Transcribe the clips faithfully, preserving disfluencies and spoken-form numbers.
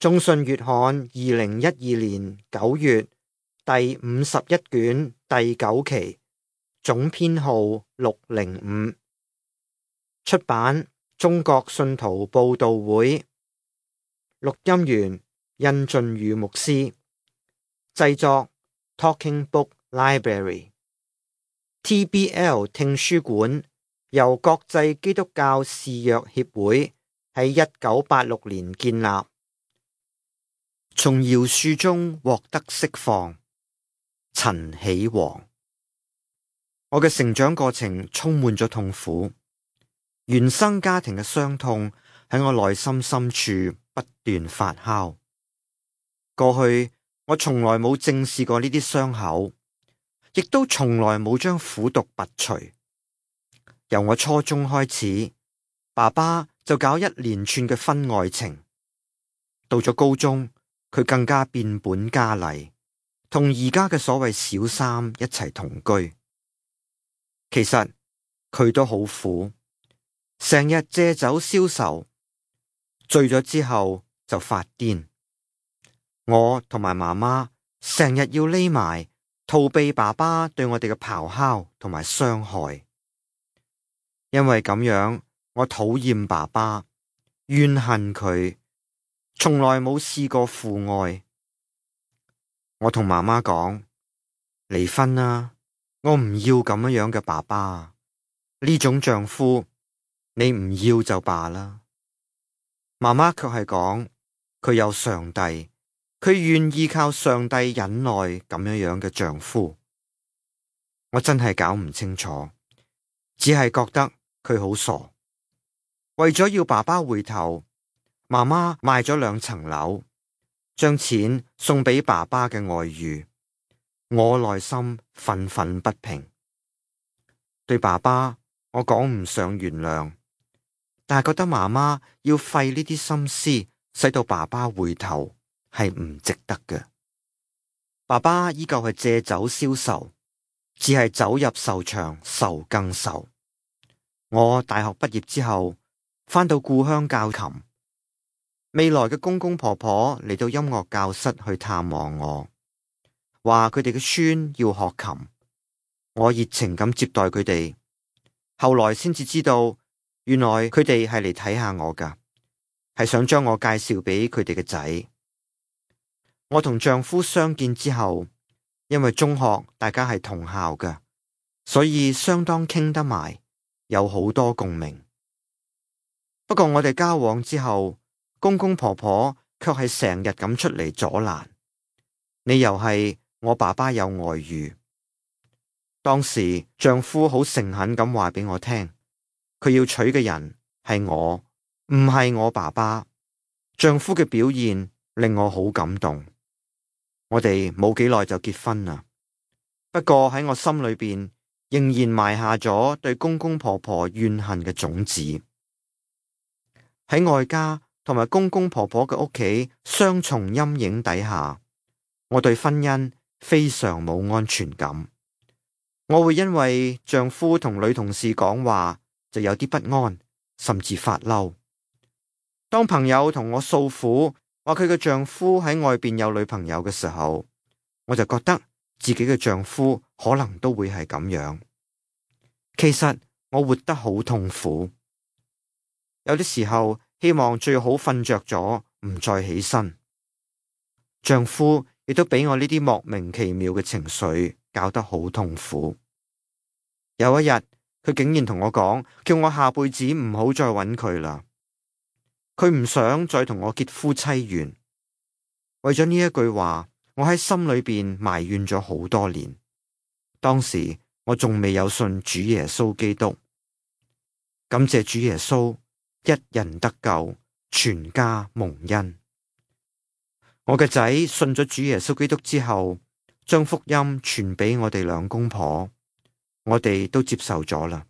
中信月刊二零一二年九月第五十一卷第九期，總編號六零五，出版中國信徒報道會，錄音員殷俊宇牧師，製作 Talking Book Library。 T B L 聽書館由國際基督教視約協會喺一九八六年建立。從饒恕中獲得釋放。陳啟煌。我嘅成長過程充滿咗痛苦，原生家庭嘅傷痛喺我內心深處不斷發酵。過去我從來冇正視過呢啲傷口，亦都從來冇將苦毒拔除。由我初中開始，爸爸就搞一連串嘅婚外情。到咗高中，佢更加變本加厲，同而家嘅所謂小三一齊同居。其實佢都好苦，成日借酒消愁，醉咗之後就發癲。我同埋媽媽成日要匿埋，逃避爸爸對我哋嘅咆哮同埋傷害。因為咁樣，我討厭爸爸，怨恨佢，從來冇試過父愛。我同媽媽講，離婚啦，我唔要咁樣嘅爸爸，呢種丈夫你唔要就罷啦。媽媽卻係講，佢有上帝，佢願意靠上帝忍耐咁樣樣嘅丈夫。我真係搞唔清楚，只係覺得佢好傻。為咗要爸爸回頭，媽媽賣咗兩層樓，將錢送俾爸爸嘅外遇。我內心憤憤不平，對爸爸我講唔上原諒，但係覺得媽媽要費呢啲心思，使到爸爸回頭係唔值得嘅。爸爸依舊係借酒消愁，只係走入愁場，愁更愁。我大學畢業之後，返到故鄉教琴。未來嘅公公婆婆嚟到音樂教室去探望我，話佢哋嘅孫要學琴。我熱情咁接待佢哋，後來先至知道，原來佢哋係嚟睇下我㗎，係想將我介紹俾佢哋嘅仔。我同丈夫相見之後，因為中學大家係同校㗎，所以相當傾得埋，有好多共鳴。不過我哋交往之後，公公婆婆卻係成日咁出嚟阻攔，理由係我爸爸有外遇。當時丈夫好誠懇咁話俾我聽，佢要娶嘅人係我，唔係我爸爸。丈夫嘅表現令我好感動。我哋冇幾耐就結婚啦。不過喺我心裏邊仍然埋下咗對公公婆婆怨恨嘅種子。喺外家同埋公公婆婆嘅屋企雙重陰影底下，我對婚姻非常冇安全感。我會因為丈夫同女同事講話就有啲不安，甚至發嬲。當朋友同我訴苦，話佢嘅丈夫喺外邊有女朋友嘅時候，我就覺得自己嘅丈夫可能都會係咁樣。其實我活得好痛苦，有啲時候希望最好瞓着咗，唔再起身。丈夫亦都俾我呢啲莫名其妙嘅情緒搞得好痛苦。有一日，佢竟然同我講，叫我下輩子唔好再揾佢啦。佢唔想再同我結夫妻緣。為咗呢一句話，我喺心裏邊埋怨咗好多年。當時我仲未有信主耶穌基督。感謝主耶穌，一人得救，全家蒙恩。我嘅仔信咗主耶穌基督之後，將福音傳俾我哋兩公婆，我哋都接受咗啦。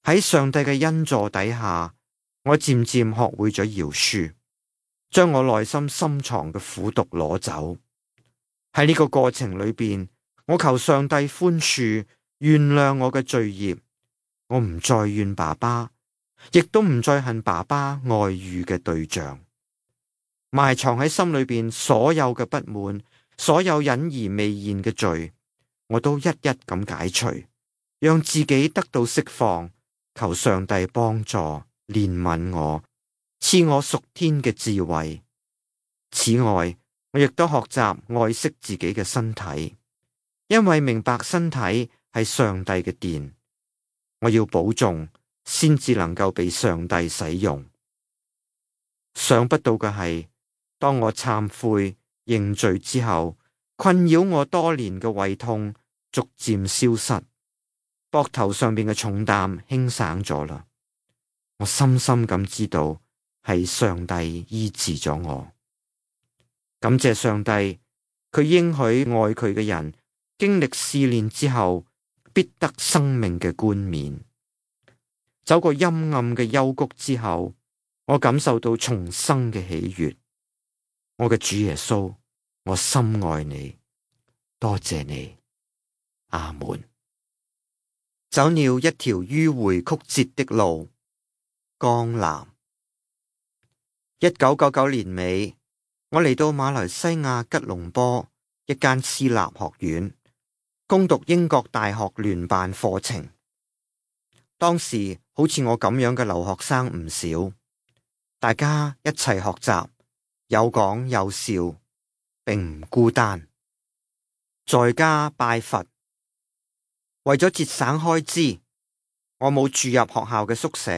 喺上帝嘅恩助底下，我漸漸學會咗饒恕，將我內心深藏嘅苦毒攞走。喺呢個過程裏邊，我求上帝寬恕，原諒我嘅罪孽。我唔再怨爸爸，亦都唔再恨爸爸外遇嘅對象。埋藏喺心裏邊所有嘅不滿，所有隱而未現嘅罪，我都一一咁解除，讓自己得到釋放。求上帝幫助憐憫我，賜我屬天嘅智慧。此外，我亦都學習愛惜自己嘅身體，因為明白身體係上帝嘅殿，我要保重，先至能夠被上帝使用。想不到嘅係，當我懺悔認罪之後，困擾我多年嘅胃痛逐漸消失，膊頭上邊嘅重擔輕省咗啦。我深深咁知道係上帝醫治咗我。感謝上帝，佢應許愛佢嘅人經歷試煉之後，必得生命嘅冠冕。走過陰暗嘅幽谷之後，我感受到重生嘅喜悅。我嘅主耶穌，我深愛你，多謝你，阿門。走了一條迂迴曲折的路，江南。一九九九年尾，我嚟到馬來西亞吉隆坡一間私立學院，攻讀英國大學聯辦課程。當時好似我咁樣嘅留學生唔少，大家一齊學習，有講有笑，並唔孤單。在家拜佛。為咗節省開支，我冇住入學校嘅宿舍，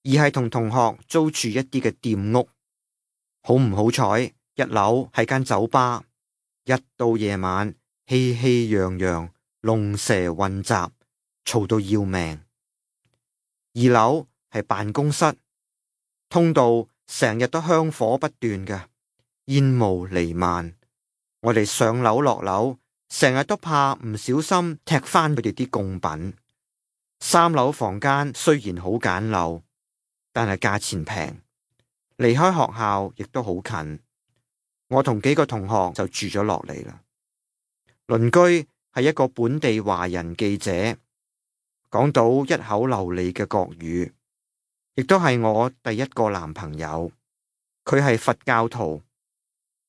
而係同同學租住一啲嘅店屋。好唔好彩，一樓係間酒吧，一到夜晚熙熙攘攘，龍蛇混雜，嘈到要命。二樓係辦公室，通道成日都香火不斷嘅，煙霧彌漫。我哋上樓落樓，成日都怕唔小心踢翻佢哋啲貢品。三樓房間雖然好簡陋，但係價錢平，離開學校亦都好近。我同幾個同學就住咗落嚟啦。鄰居係一個本地華人記者，講到一口流利嘅國語，亦都係我第一個男朋友。佢係佛教徒，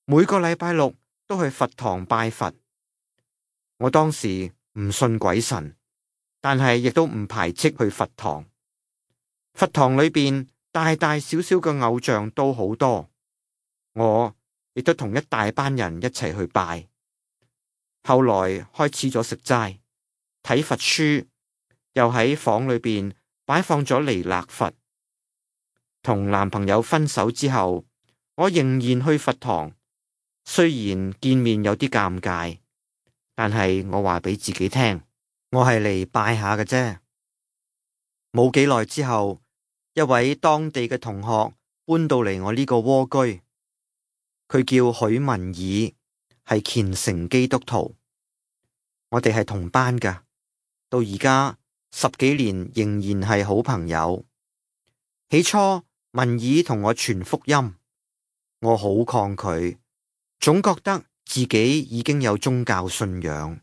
每個禮拜六都去佛堂拜佛。我當時唔信鬼神，但係亦都唔排斥去佛堂。佛堂裏邊大大小小嘅偶像都好多，我亦都同一大班人一齊去拜。後來開始咗食齋、睇佛書，又喺房裏邊擺放咗彌勒佛。同男朋友分手之後，我仍然去佛堂，雖然見面有啲尷尬。但係我話俾自己聽，我係嚟拜下嘅啫。冇幾耐之後，一位當地嘅同學搬到嚟我呢個窩居，佢叫許文爾，係虔誠基督徒。我哋係同班噶，到而家十幾年仍然係好朋友。起初文爾同我傳福音，我好抗拒，總覺得自己已經有宗教信仰，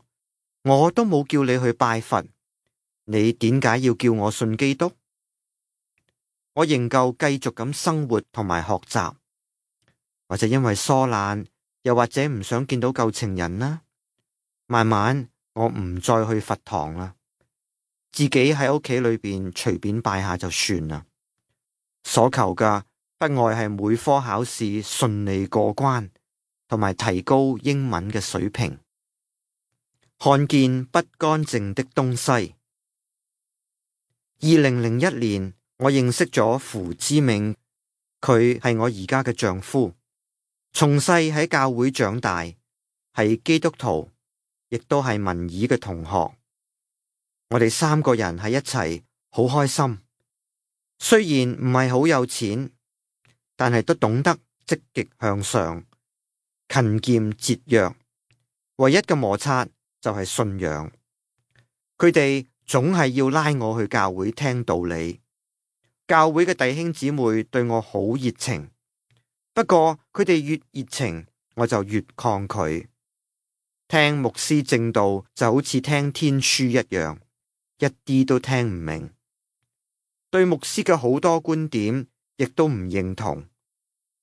我都冇叫你去拜佛，你點解要叫我信基督？我仍舊繼續咁生活同埋學習，或者因為疏懶，又或者唔想見到舊情人啦。慢慢我唔再去佛堂啦，自己喺屋企裏邊隨便拜下就算啦。所求嘅不外係每科考試順利過關，同埋提高英文嘅水平。看見不乾淨的東西。二零零一年，我認識咗符之銘，佢係我而家嘅丈夫。從細喺教會長大，係基督徒，亦都係文爾嘅同學。我哋三個人喺一齊，好開心。雖然唔係好有錢，但係都懂得積極向上。勤儉節約，唯一嘅摩擦就係信仰。佢哋總係要拉我去教會聽道理。教會嘅弟兄姊妹對我好熱情，不過佢哋越熱情，我就越抗拒。聽牧師正道就好似聽天書一樣，一啲都聽唔明。對牧師嘅好多觀點亦都唔認同。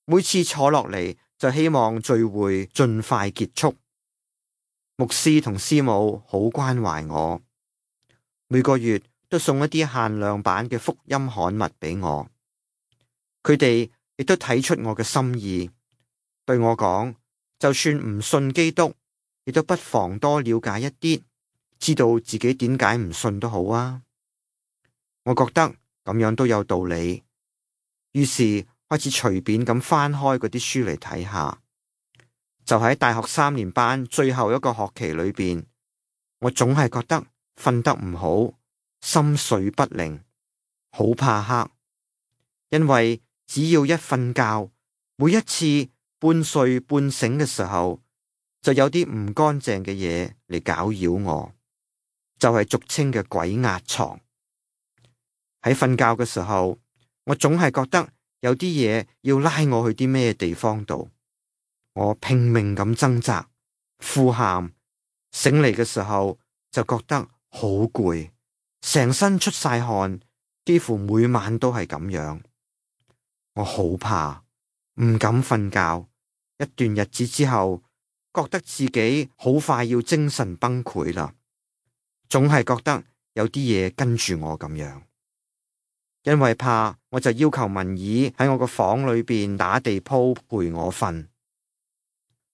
每次坐落嚟就希望聚會盡快結束。牧師同師母好關懷我，每個月都送一啲限量版嘅福音刊物俾我。佢哋亦都睇出我嘅心意，對我講，就算唔信基督，亦都不妨多了解一啲，知道自己點解唔信都好啊。我覺得咁樣都有道理，於是開始隨便咁翻開嗰啲書嚟睇下。就喺大學三年班最後一個學期裏邊，我總係覺得瞓得唔好，心緒不寧，好怕黑，因為只要一瞓覺，每一次半睡半醒嘅時候，就有啲唔乾淨嘅嘢嚟攪擾我，就係俗稱嘅鬼壓床。喺瞓覺嘅時候，我總係覺得有啲嘢要拉我去啲咩地方度。我拼命咁掙扎、呼喊，醒嚟嘅時候就覺得好攰，成身出晒汗，幾乎每晚都係咁樣。我好怕，唔敢瞓覺。一段日子之後，覺得自己好快要精神崩潰啦，總係覺得有啲嘢跟住我咁樣。因為怕，我就要求文姨喺我個房裏邊打地鋪陪我瞓。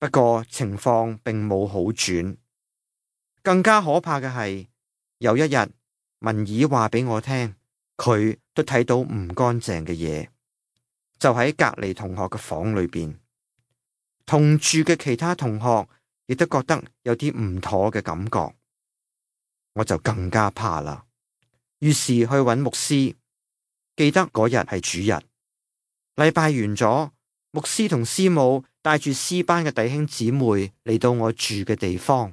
不過情況並冇好轉，更加可怕嘅係，有一日文姨話俾我聽，佢都睇到唔乾淨嘅嘢，就喺隔籬同學嘅房裏邊，同住嘅其他同學亦都覺得有啲唔妥嘅感覺，我就更加怕啦。於是去揾牧師，記得嗰日係主日，禮拜完咗，牧師同師母帶住詩班嘅弟兄姊妹嚟到我住嘅地方。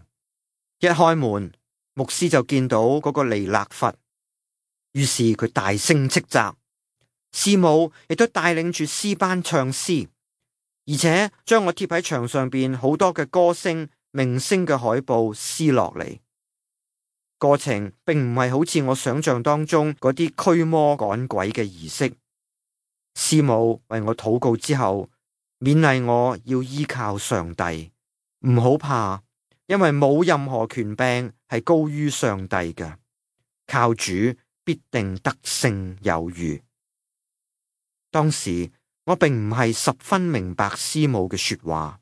一開門，牧師就見到嗰個彌勒佛，於是佢大聲斥責。師母亦都帶領住詩班唱詩，而且將我貼喺牆上邊好多嘅歌星明星嘅海報撕落嚟。過程並唔係好似我想象當中嗰啲驅魔趕鬼嘅儀式。師母為我禱告之後，勉勵我要依靠上帝，唔好怕，因為冇任何權柄係高於上帝嘅，靠主必定得勝有餘。當時我並唔係十分明白師母嘅說話，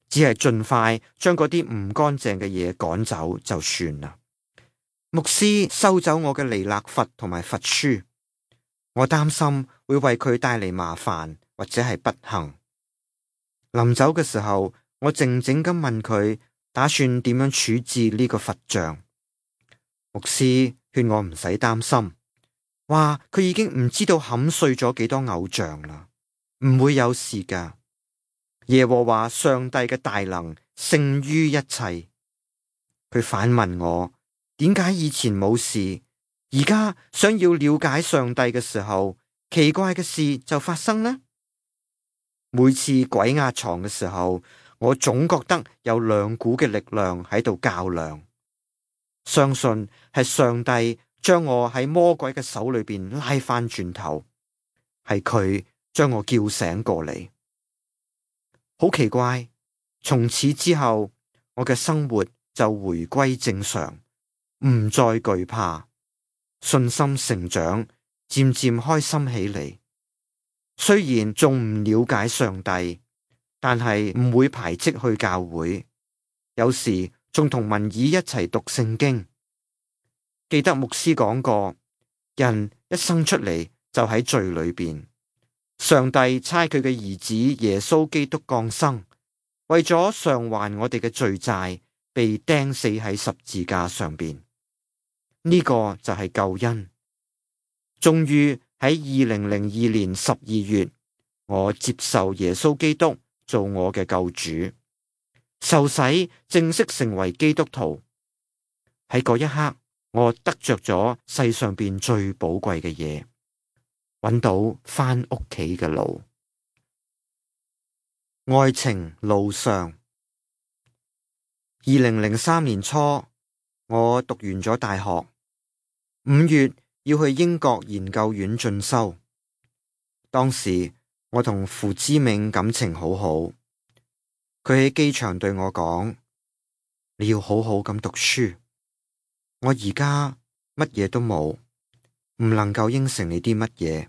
只係盡快將嗰啲唔乾淨嘅嘢趕走就算啦。牧師收走我嘅彌勒佛同埋佛書，我擔心會為佢帶嚟麻煩或者係不幸。臨走嘅時候，我靜靜咁問佢打算點樣處置呢個佛像。牧師勸我唔使擔心，話佢已經唔知道砍碎咗幾多偶像啦，唔會有事噶。耶和華上帝嘅大能勝於一切。佢反問我，點解以前冇事，而家想要了解上帝嘅時候，奇怪嘅事就發生呢？每次鬼壓床嘅時候，我總覺得有兩股嘅力量喺度較量，相信係上帝將我喺魔鬼嘅手裏邊拉翻轉頭，係佢將我叫醒過嚟。好奇怪，從此之後，我嘅生活就回歸正常，唔再懼怕，信心成長，漸漸開心起嚟。雖然仲唔了解上帝，但係唔會排斥去教會，有時仲同文姨一齊讀聖經。記得牧師講過，人一生出嚟就喺罪裏邊，上帝差佢嘅兒子耶穌基督降生，為咗償還我哋嘅罪債，被釘死喺十字架上邊。呢個就係救恩。終於喺二零零二年十二月，我接受耶穌基督做我嘅救主，受洗正式成為基督徒。喺嗰一刻，我得着咗世上邊最寶貴嘅嘢，揾到返屋企嘅路。愛情路上，二零零三年初，我讀完咗大學，五月要去英國研究院進修。當時我同傅知銘感情好好，佢喺機場對我講：你要好好咁讀書。我而家乜嘢都冇，唔能夠應承你啲乜嘢。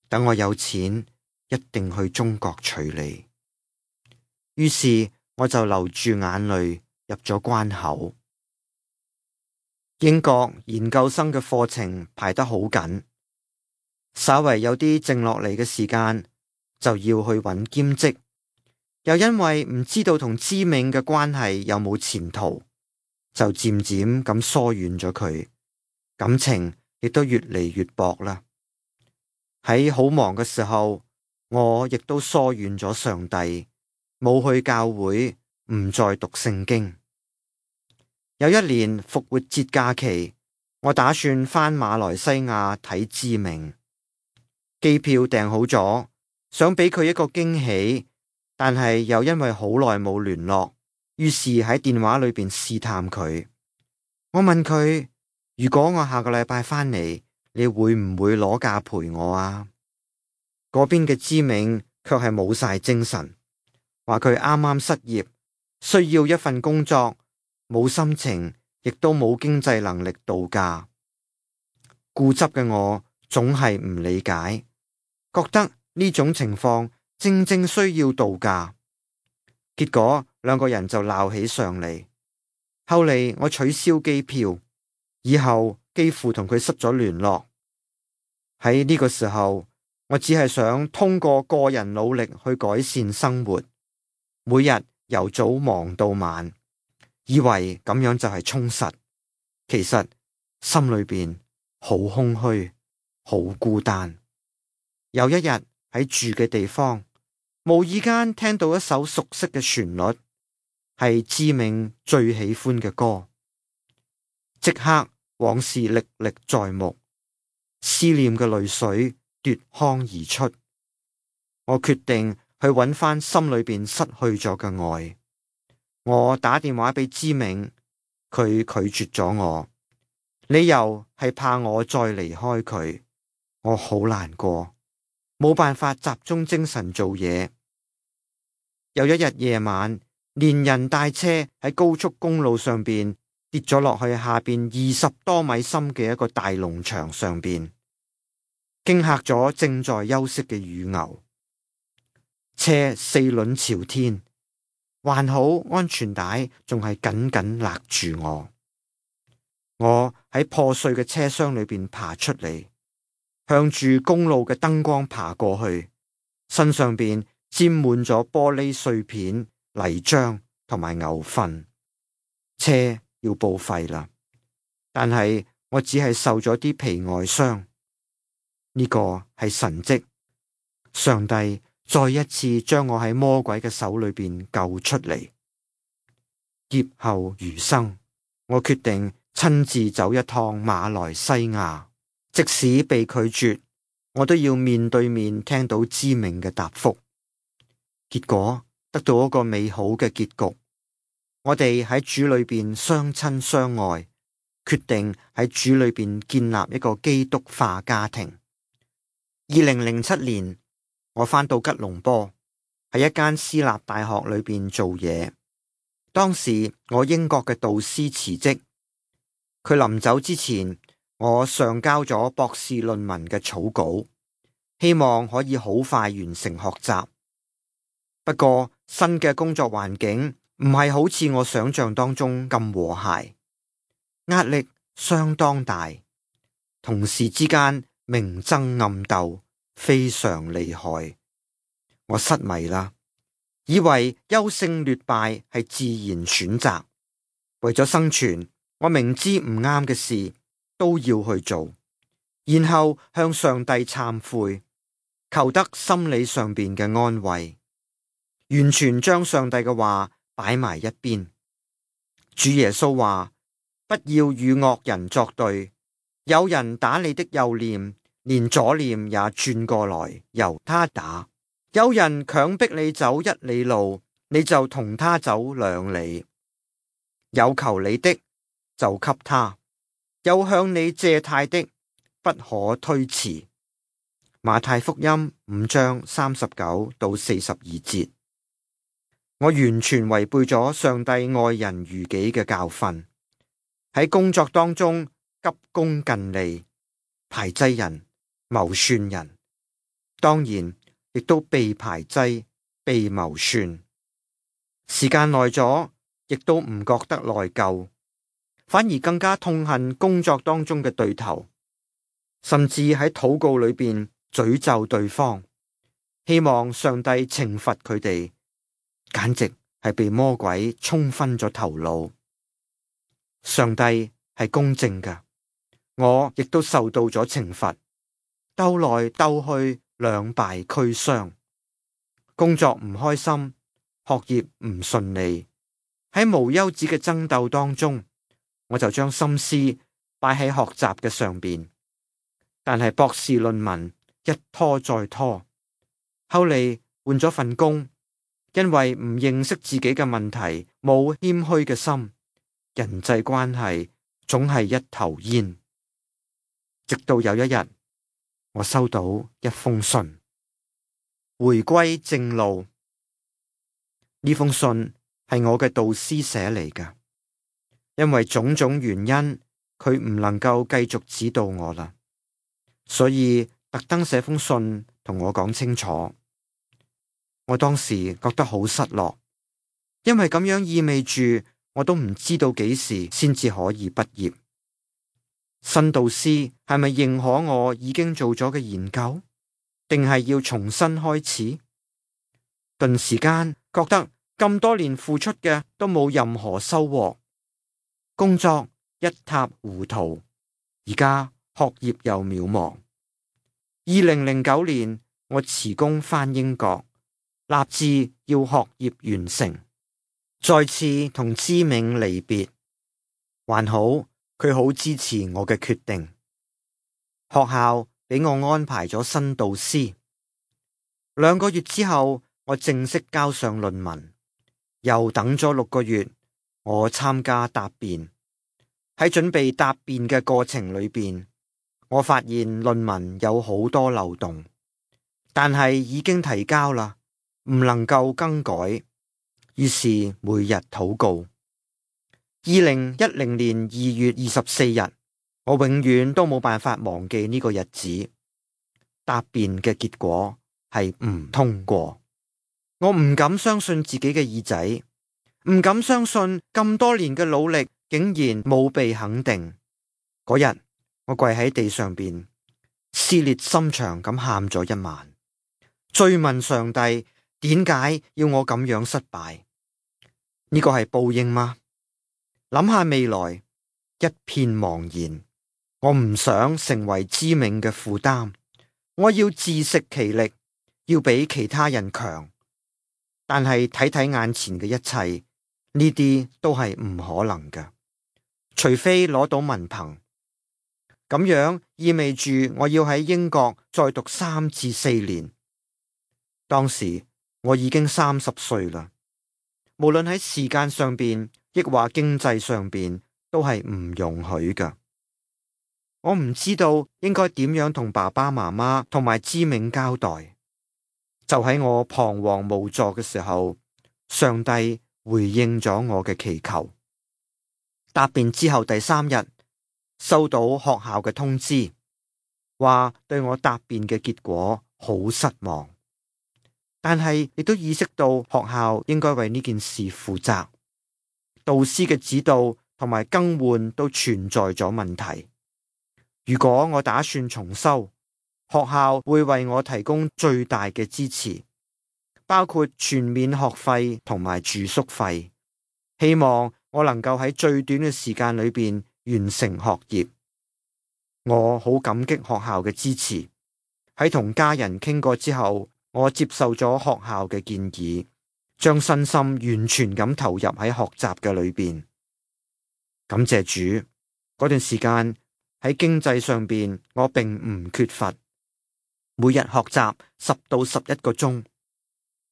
等我有錢，一定去中國娶你。於是我就流住眼淚入咗關口。英國研究生嘅課程排得好緊，稍為有啲靜落嚟嘅時間，就要去揾兼職。又因為唔知道同知銘嘅關係有冇前途，就漸漸咁疏遠咗佢，感情亦都越嚟越薄啦。喺好忙嘅時候，我亦都疏遠咗上帝，冇去教會，唔再讀聖經。有一年復活節假期，我打算返馬來西亞睇知銘，機票訂好咗，想俾佢一個驚喜，但係又因為好耐冇聯絡，於是喺電話裏邊試探佢。我問佢：如果我下個禮拜返嚟，你會唔會攞假陪我啊？嗰邊嘅知銘卻係冇晒精神，話佢啱啱失業，需要一份工作，冇心情，亦都冇經濟能力度假。固執嘅我總係唔理解，覺得呢種情況正正需要度假。結果兩個人就鬧起上嚟。後嚟我取消機票，以後幾乎同佢失咗聯絡。喺呢個時候，我只係想通過個人努力去改善生活，每日由早忙到晚，以為咁樣就係充實。其實心裏邊好空虛，好孤單。有一日喺住嘅地方，無意間聽到一首熟悉嘅旋律，係知銘最喜歡嘅歌，即刻往事歷歷在目，思念嘅淚水奪眶而出。我決定去揾翻心裏邊失去咗嘅愛。我打電話俾知銘，佢拒絕咗我，理由係怕我再離開佢。我好難過，冇辦法集中精神做嘢。有一日夜晚，連人帶車喺高速公路上邊跌咗落去下邊二十多米深嘅一個大農場上邊，驚嚇咗正在休息嘅乳牛。車四輪朝天，還好安全帶仲係緊緊勒住我。我喺破碎嘅車廂裏邊爬出嚟，向住公路嘅燈光爬過去，身上邊沾滿咗玻璃碎片、泥漿同埋牛糞。車要報廢啦，但係我只係受咗啲皮外傷。呢個係神蹟，上帝再一次將我喺魔鬼嘅手裏邊救出嚟。劫後餘生，我決定親自走一趟馬來西亞，即使被拒絕，我都要面對面聽到知銘嘅答覆。結果得到一個美好嘅結局，我哋喺主裏邊相親相愛，決定喺主裏邊建立一個基督化家庭。二零零七年，我返到吉隆坡，喺一間私立大學裏邊做嘢。當時我英國嘅導師辭職，佢臨走之前，我上交咗博士論文嘅草稿，希望可以好快完成學習。不過新嘅工作環境唔係好似我想象當中咁和諧，壓力相當大，同事之間明爭暗鬥非常厲害。我失迷啦，以為優勝劣敗係自然選擇。為咗生存，我明知唔啱嘅事都要去做，然後向上帝懺悔，求得心理上邊嘅安慰，完全將上帝嘅話擺埋一邊。主耶穌話：不要與惡人作對，有人打你的右臉，連左臉也轉過來由他打；有人強迫你走一里路，你就同他走兩里。有求你的就給他，有向你借貸的不可推辭。馬太福音五章三十九到四十二節。我完全違背咗上帝愛人如己嘅教訓，喺工作當中急功近利、排擠人、謀算人，當然亦都被排擠、被謀算。時間耐咗，亦都唔覺得內疚，反而更加痛恨工作當中嘅對頭，甚至喺禱告裏邊詛咒對方，希望上帝懲罰佢哋，簡直係被魔鬼沖昏咗頭腦。上帝係公正嘅，我亦都受到咗懲罰，鬥來鬥去，兩敗俱傷，工作唔開心，學業唔順利，喺無休止嘅爭鬥當中，我就將心思擺喺學習嘅上邊，但係博士論文一拖再拖，後嚟換咗份工，因為唔認識自己嘅問題，冇謙虛嘅心，人際關係總係一頭煙。直到有一日，我收到一封信，回歸正路。呢封信係我嘅導師寫嚟㗎，因為種種原因，佢唔能夠繼續指導我啦，所以特登寫封信同我講清楚。我當時覺得好失落，因為咁樣意味住我都唔知道幾時先至可以畢業。新導師係咪認可我已經做咗嘅研究，定係要重新開始？頓時間覺得咁多年付出嘅都冇任何收穫，工作一塌糊塗，而家學業又渺茫。二零零九年，我辭工返英國，立志要學業完成，再次同知銘離別。還好，佢好支持我嘅決定。學校俾我安排咗新導師。兩個月之後，我正式交上論文。又等咗六個月，我參加答辯。喺準備答辯嘅過程裏邊，我發現論文有好多漏洞，但係已經提交啦，唔能夠更改。於是每日禱告。二零一零年二月二十四日，我永遠都冇辦法忘記呢個日子。答辯嘅結果係唔通過。我唔敢相信自己嘅耳仔，唔敢相信咁多年嘅努力竟然冇被肯定。嗰日我跪喺地上邊，撕裂心腸咁喊咗一晚，追問上帝點解要我咁樣失敗？呢個係報應嗎？諗下未來，一片茫然。我唔想成為知銘嘅負擔，我要自食其力，要比其他人強。但係睇睇眼前嘅一切，呢啲都係唔可能嘅，除非攞到文憑。咁樣意味住我要喺英國再讀三至四年。當時我已經三十歲啦，無論喺時間上邊，亦或經濟上邊，都係唔容許㗎。我唔知道應該點樣同爸爸媽媽同埋知銘交代。就喺我彷徨無助嘅時候，上帝回應咗我嘅祈求。答辯之後第三日，收到學校嘅通知，話對我答辯嘅結果好失望，但係亦都意識到學校應該為呢件事負責。導師嘅指導同埋更換都存在咗問題。如果我打算重修，學校會為我提供最大嘅支持，包括全免學費同埋住宿費。希望我能夠喺最短嘅時間裏邊完成學業。我好感激學校嘅支持。喺同家人傾過之後，我接受咗學校嘅建議，將身心完全咁投入喺學習嘅裏邊。感謝主，嗰段時間喺經濟上邊我並唔缺乏。每日學習十到十一個鐘，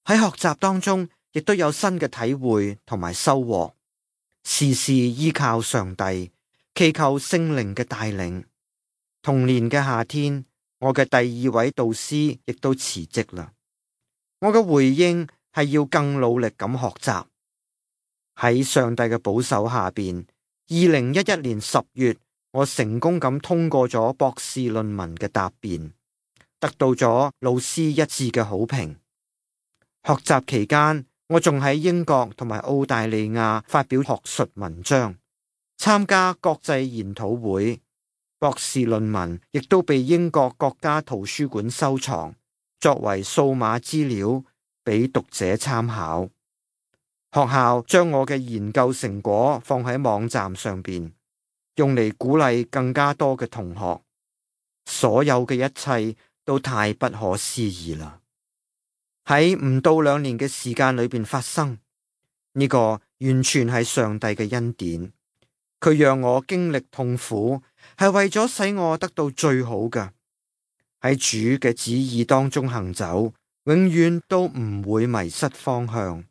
喺學習當中亦都有新嘅體會同埋收穫，時時依靠上帝，祈求聖靈嘅帶領。同年嘅夏天，我嘅第二位導師亦都辭職啦。我嘅回應係要更努力咁學習。喺上帝嘅保守下邊，二零一一年十月，我成功咁通過咗博士論文嘅答辯，得到咗老師一致嘅好評。學習期間，我仲喺英國同埋澳大利亞發表學術文章，參加國際研討會。博士論文亦都被英國國家圖書館收藏，作為數碼資料俾讀者參考。學校將我嘅研究成果放喺網站上邊，用嚟鼓勵更加多嘅同學。所有嘅一切都太不可思議啦！喺唔到兩年嘅時間裏邊發生，呢個完全係上帝嘅恩典。佢讓我經歷痛苦，係為咗使我得到最好嘅。喺主嘅旨意當中行走，永遠都唔會迷失方向。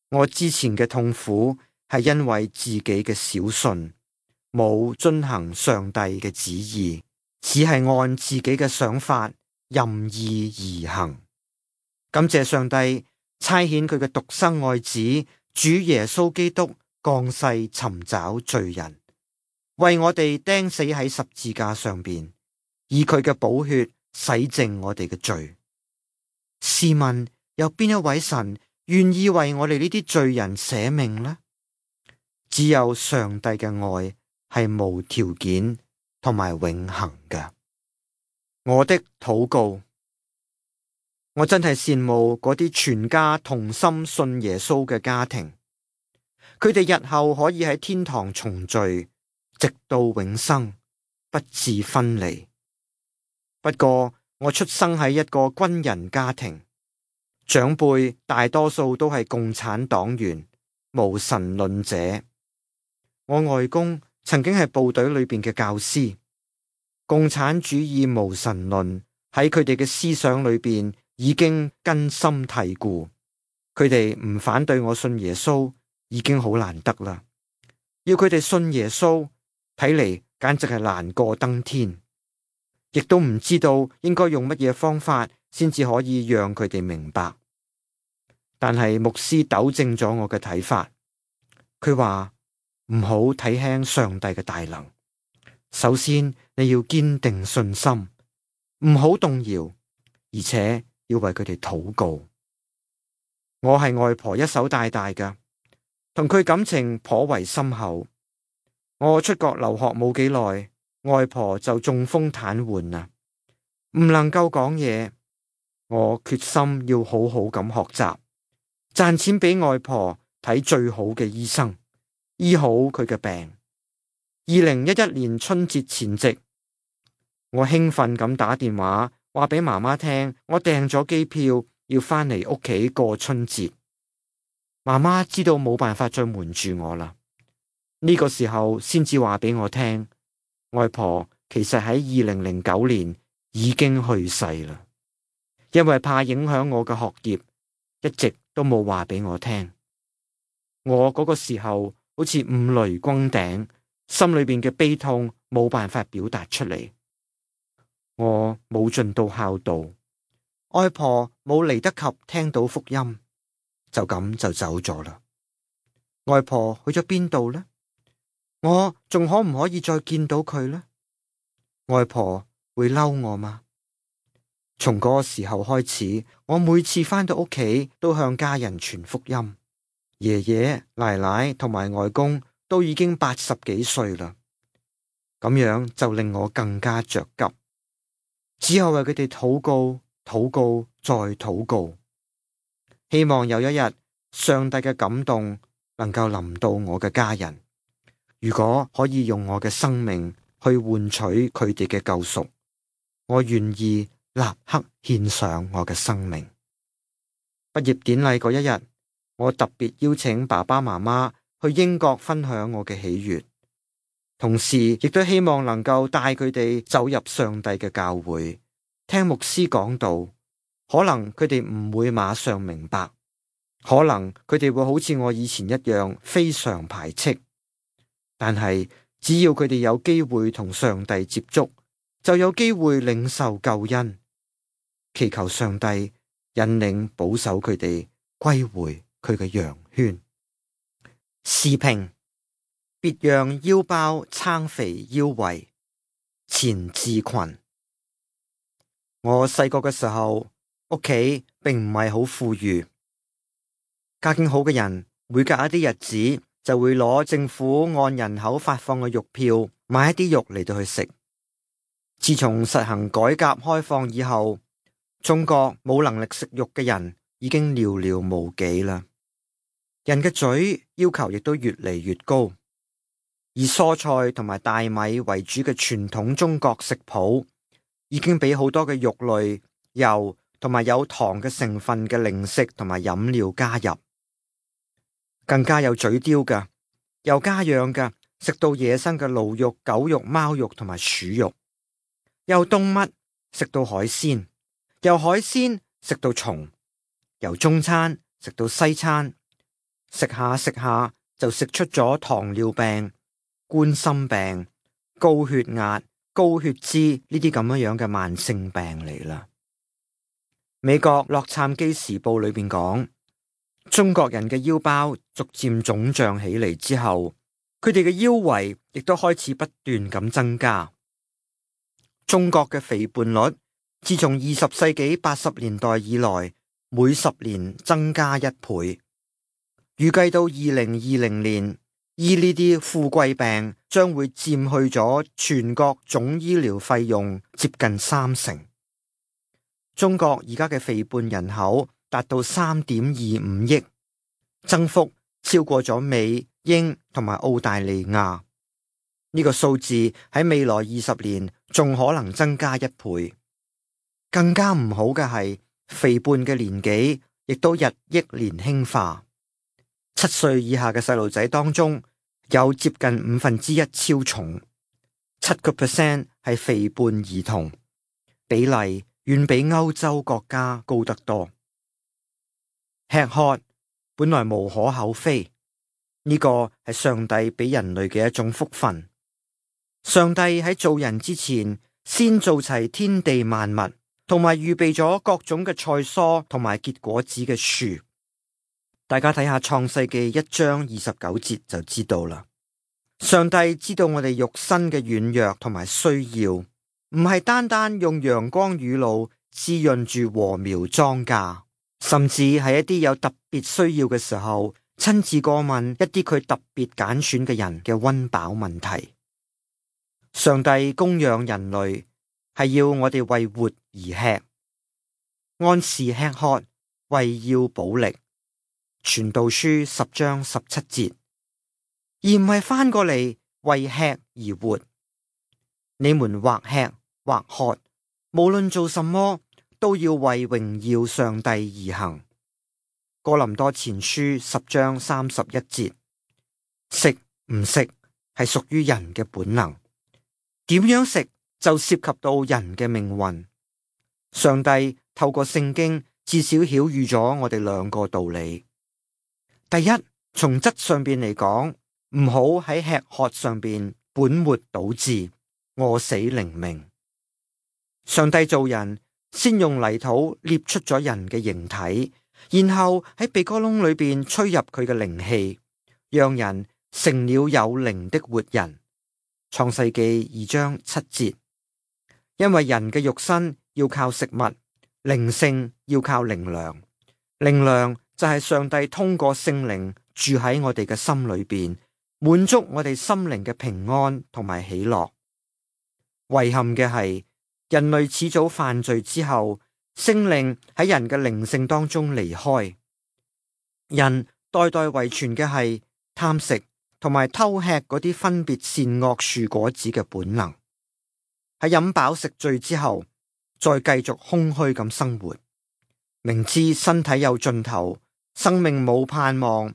我之前嘅痛苦係因為自己嘅小信，冇遵行上帝嘅旨意，只係按自己嘅想法任意而行。感謝上帝差遣佢嘅獨生愛子主耶穌基督降世尋找罪人，為我哋釘死喺十字架上邊，以佢嘅寶血洗淨我哋嘅罪。試問有邊一位神願意為我哋呢啲罪人捨命呢？只有上帝嘅愛係無條件同埋永恆嘅。我的禱告，我真係羨慕嗰啲全家同心信耶穌嘅家庭，佢哋日後可以喺天堂重聚，直到永生，不致分離。不過我出生喺一個軍人家庭，長輩大多數都係共產黨員、無神論者。我外公曾經係部隊裏邊嘅教師，共產主義無神論喺佢哋嘅思想裏邊已經根深蒂固。佢哋唔反對我信耶穌已經好難得啦，要佢哋信耶穌睇嚟簡直係難過登天，亦都唔知道應該用乜嘢方法先至可以讓佢哋明白。但係牧師糾正咗我嘅睇法，佢話唔好睇輕上帝嘅大能。首先你要堅定信心，唔好動搖，而且要為佢哋禱告。我係外婆一手帶大嘅，同佢感情頗為深厚。我出國留學冇幾耐，外婆就中風癱瘓啦，唔能夠講嘢。我決心要好好咁學習，賺錢俾外婆睇最好嘅醫生，醫好佢嘅病。二零一一年春節前夕，我興奮咁打電話話俾媽媽聽，我訂咗機票要翻嚟屋企過春節。媽媽知道冇辦法再瞞住我啦，呢個時候先至話俾我聽，外婆其實喺二零零九年已經去世啦。因為怕影響我嘅學業，一直都冇話俾我聽。我嗰個時候好似五雷轟頂，心裏邊嘅悲痛冇辦法表達出嚟。我冇盡到孝道，外婆冇嚟得及聽到福音，就咁就走咗啦。外婆去咗邊度呢？我仲可唔可以再見到佢呢？外婆會嬲我嗎？從嗰個時候開始，我每次返到屋企都向家人傳福音。爺爺、奶奶同埋外公都已經八十幾歲啦，咁樣就令我更加着急，只有為佢哋禱告、禱告再禱告，希望有一日上帝嘅感動能夠臨到我嘅家人。如果可以用我嘅生命去換取佢哋嘅救贖，我願意立刻獻上我嘅生命。畢業典禮嗰一日，我特別邀請爸爸媽媽去英國分享我嘅喜悅，同時亦都希望能夠帶佢哋走入上帝嘅教會，聽牧師講道。可能佢哋唔會馬上明白，可能佢哋會好似我以前一樣非常排斥，但係只要佢哋有機會同上帝接觸，就有機會領受救恩。祈求上帝引領保守佢哋歸回佢嘅羊圈。時評：別讓腰包撐肥腰圍，錢志群。我細個嘅時候，屋企並唔係好富裕，家境好嘅人每隔一啲日子就會攞政府按人口發放嘅肉票買一啲肉嚟到去食。自從實行改革開放以後，中國冇能力食肉嘅人已經寥寥無幾啦。人嘅嘴要求亦都越嚟越高，以蔬菜同埋大米為主嘅傳統中國食譜，已經俾好多嘅肉類、油同埋有糖嘅成分嘅零食同埋飲料加入。更加有嘴刁嘅，又家養嘅，食到野生嘅驢肉、狗肉、貓肉同埋鼠肉；由動物食到海鮮，由海鮮食到蟲，由中餐食到西餐，食下食下就食出咗糖尿病、冠心病、高血壓、高血脂呢啲咁樣樣嘅慢性病嚟啦。美國洛杉磯時報裏邊講，中國人嘅腰包逐漸腫脹起嚟之後，佢哋嘅腰圍亦都開始不斷咁增加。中國嘅肥胖率自從二十世紀八十年代以來，每十年增加一倍。預計到二零二零年，醫呢啲富貴病將會佔去咗全國總醫療費用接近三成。中國而家嘅肥胖人口達到三點二五億，增幅超過咗美、英同埋澳大利亞。呢個數字喺未來二十年仲可能增加一倍。更加唔好嘅係，肥胖嘅年紀亦都日益年輕化。七歲以下嘅細路仔當中，有接近五分之一超重，七個 percent 係肥胖兒童，比例遠比歐洲國家高得多。吃喝本來無可厚非，呢個係上帝俾人類嘅一種福分。上帝喺造人之前，先做齊天地萬物，同埋預備咗各種嘅菜蔬同埋結果子嘅樹。大家睇下創世記一章二十九節就知道啦。上帝知道我哋肉身嘅軟弱同埋需要，唔係單單用陽光雨露滋潤住禾苗莊稼，甚至係一啲有特別需要嘅時候，親自過問一啲佢特別揀選嘅人嘅溫飽問題。上帝供養人類，係要我哋為活而吃，按時吃喝，為要保力。傳道書十章十七節，而唔係翻過嚟為吃而活。你們或吃或喝，無論做什麼，都要為榮耀上帝而行。哥林多前書十章三十一節，食唔食係屬於人嘅本能，點樣食就涉及到人嘅命運。上帝透過聖經至少曉諭咗我哋兩個道理。第一，從質上邊嚟講，唔好喺吃喝上邊本末倒置，餓死靈命。上帝造人，先用泥土捏出咗人嘅形體，然後喺鼻哥窿裏邊吹入佢嘅靈氣，讓人成了有靈的活人。創世記二章七節。因為人嘅肉身要靠食物，靈性要靠靈糧，靈糧就係上帝通過聖靈住喺我哋嘅心裏邊，滿足我哋心靈嘅平安同埋喜樂。遺憾嘅係，人類始早犯罪之後，聖靈喺人嘅靈性當中離開，人代代遺傳嘅係貪食同埋偷吃嗰啲分別善惡樹果子嘅本能。喺飲飽食醉之後，再繼續空虛咁生活，明知身體有盡頭，生命冇盼望，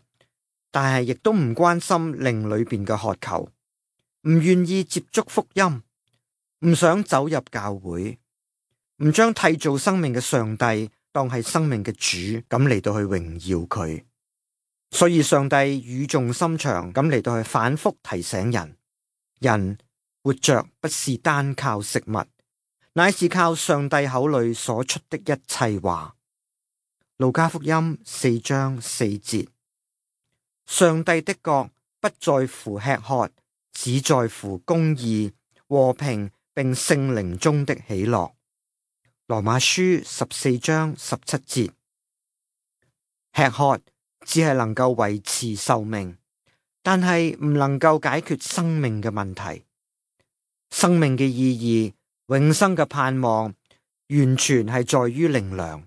但係亦都唔關心靈裏邊嘅渴求，唔願意接觸福音，唔想走入教會，唔將締造生命嘅上帝當係生命嘅主，咁嚟到去榮耀佢。所以上帝語重心長咁嚟到去反覆提醒人，人活着不是單靠食物，乃是靠上帝口裏所出的一切話。路加福音四章四節。上帝的國不在乎吃喝，只在乎公義、和平並聖靈中的喜樂。羅馬書十四章十七節。吃喝只係能夠維持壽命，但係唔能夠解決生命嘅問題。生命嘅意義、永生嘅盼望，完全係在於靈糧，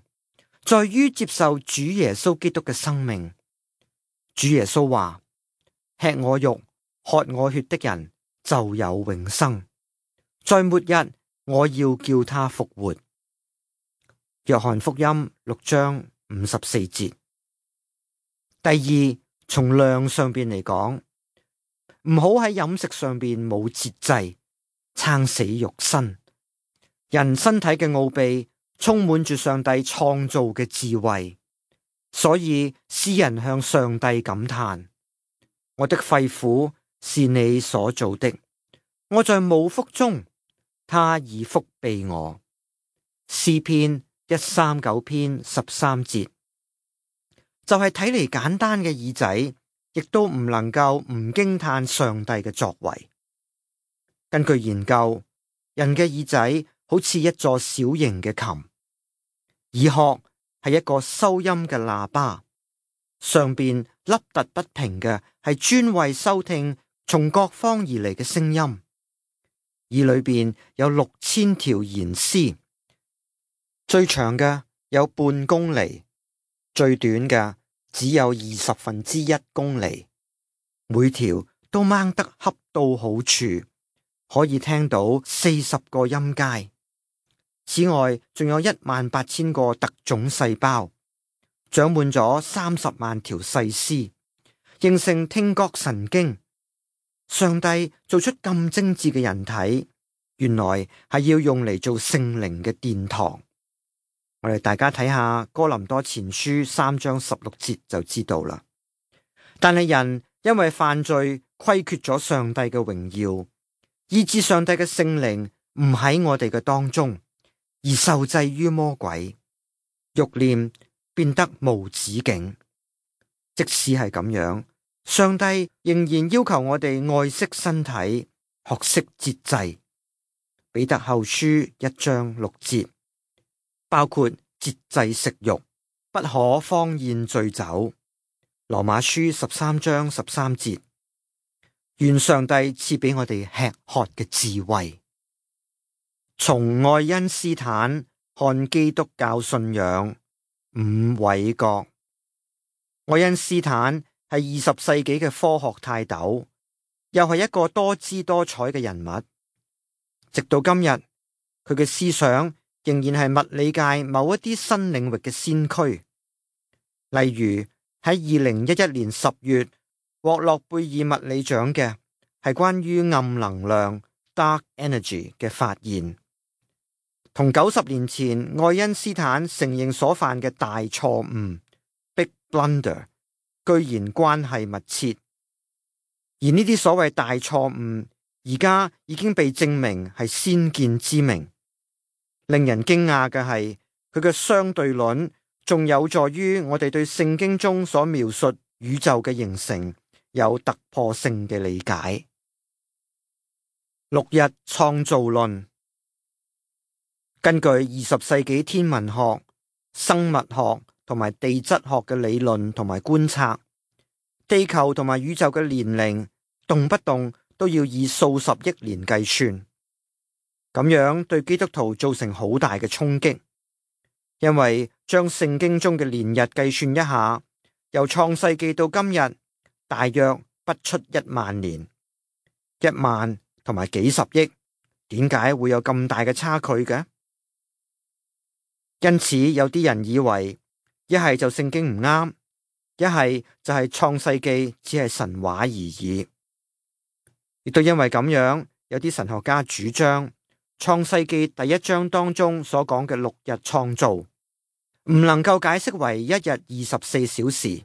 在於接受主耶穌基督嘅生命。主耶穌話：吃我肉、喝我血的人就有永生，在末日我要叫他復活。約翰福音六章五十四節。第二，從量上邊嚟講，唔好喺飲食上邊冇節制，撐死肉身。人身體嘅奧秘充滿住上帝創造嘅智慧，所以詩人向上帝感嘆：我的肺腑是你所造的，我在母腹中，他已覆庇我。詩篇一三九篇十三節。就係睇嚟簡單嘅耳仔，亦都唔能夠唔驚嘆上帝嘅作為。根據研究，人嘅耳仔好似一座小型嘅琴，耳殼係一個收音嘅喇叭，上邊凹凸不平嘅係專為收聽從各方而嚟嘅聲音。耳裏邊有六千條弦絲，最長嘅有半公里，最短嘅只有二十分之一公里，每條都掹得恰到好處，可以聽到四十個音階。此外，仲有一萬八千個特種細胞，長滿咗三十萬條細絲，形成聽覺神經。上帝做出咁精緻嘅人體，原來係要用嚟做聖靈嘅殿堂。我哋大家睇下哥林多前書三章十六節就知道啦。但係人因為犯罪虧缺咗上帝嘅榮耀，以致上帝嘅聖靈唔喺我哋嘅當中，而受制於魔鬼，欲念變得無止境。即使係咁樣，上帝仍然要求我哋愛惜身體，學識節制。彼得後書一章六節。包括節制食慾，不可荒宴醉酒。羅馬書十三章十三節。願上帝賜俾我哋吃喝嘅智慧。從愛因斯坦看基督教信仰，伍偉國。愛因斯坦係二十世紀嘅科學泰斗，又係一個多姿多彩嘅人物。直到今日，佢嘅思想仍然係物理界某一啲新領域嘅先驅，例如喺二零一一年十月獲諾貝爾物理獎嘅係關於暗能量 （dark energy） 嘅發現，同九十年前愛因斯坦承認所犯嘅大錯誤 （big blunder） 居然關係密切，而呢啲所謂大錯誤而家已經被證明係先見之明。令人驚訝嘅係，佢嘅相對論仲有助於我哋對聖經中所描述宇宙嘅形成有突破性嘅理解。六日創造論。根據二十世紀天文學、生物學同埋地質學嘅理論同埋觀察，地球同埋宇宙嘅年齡動不動都要以數十億年計算。咁樣對基督徒造成好大嘅衝擊，因為將聖經中嘅年日計算一下，由創世紀到今日，大約不出一萬年，一萬同埋幾十億，點解會有咁大嘅差距嘅？因此有啲人以為，一係就聖經唔啱，一係就係創世紀只係神話而已。亦都因為咁樣，有啲神學家主張，創世紀第一章當中所講嘅六日創造，唔能夠解釋為一日二十四小時，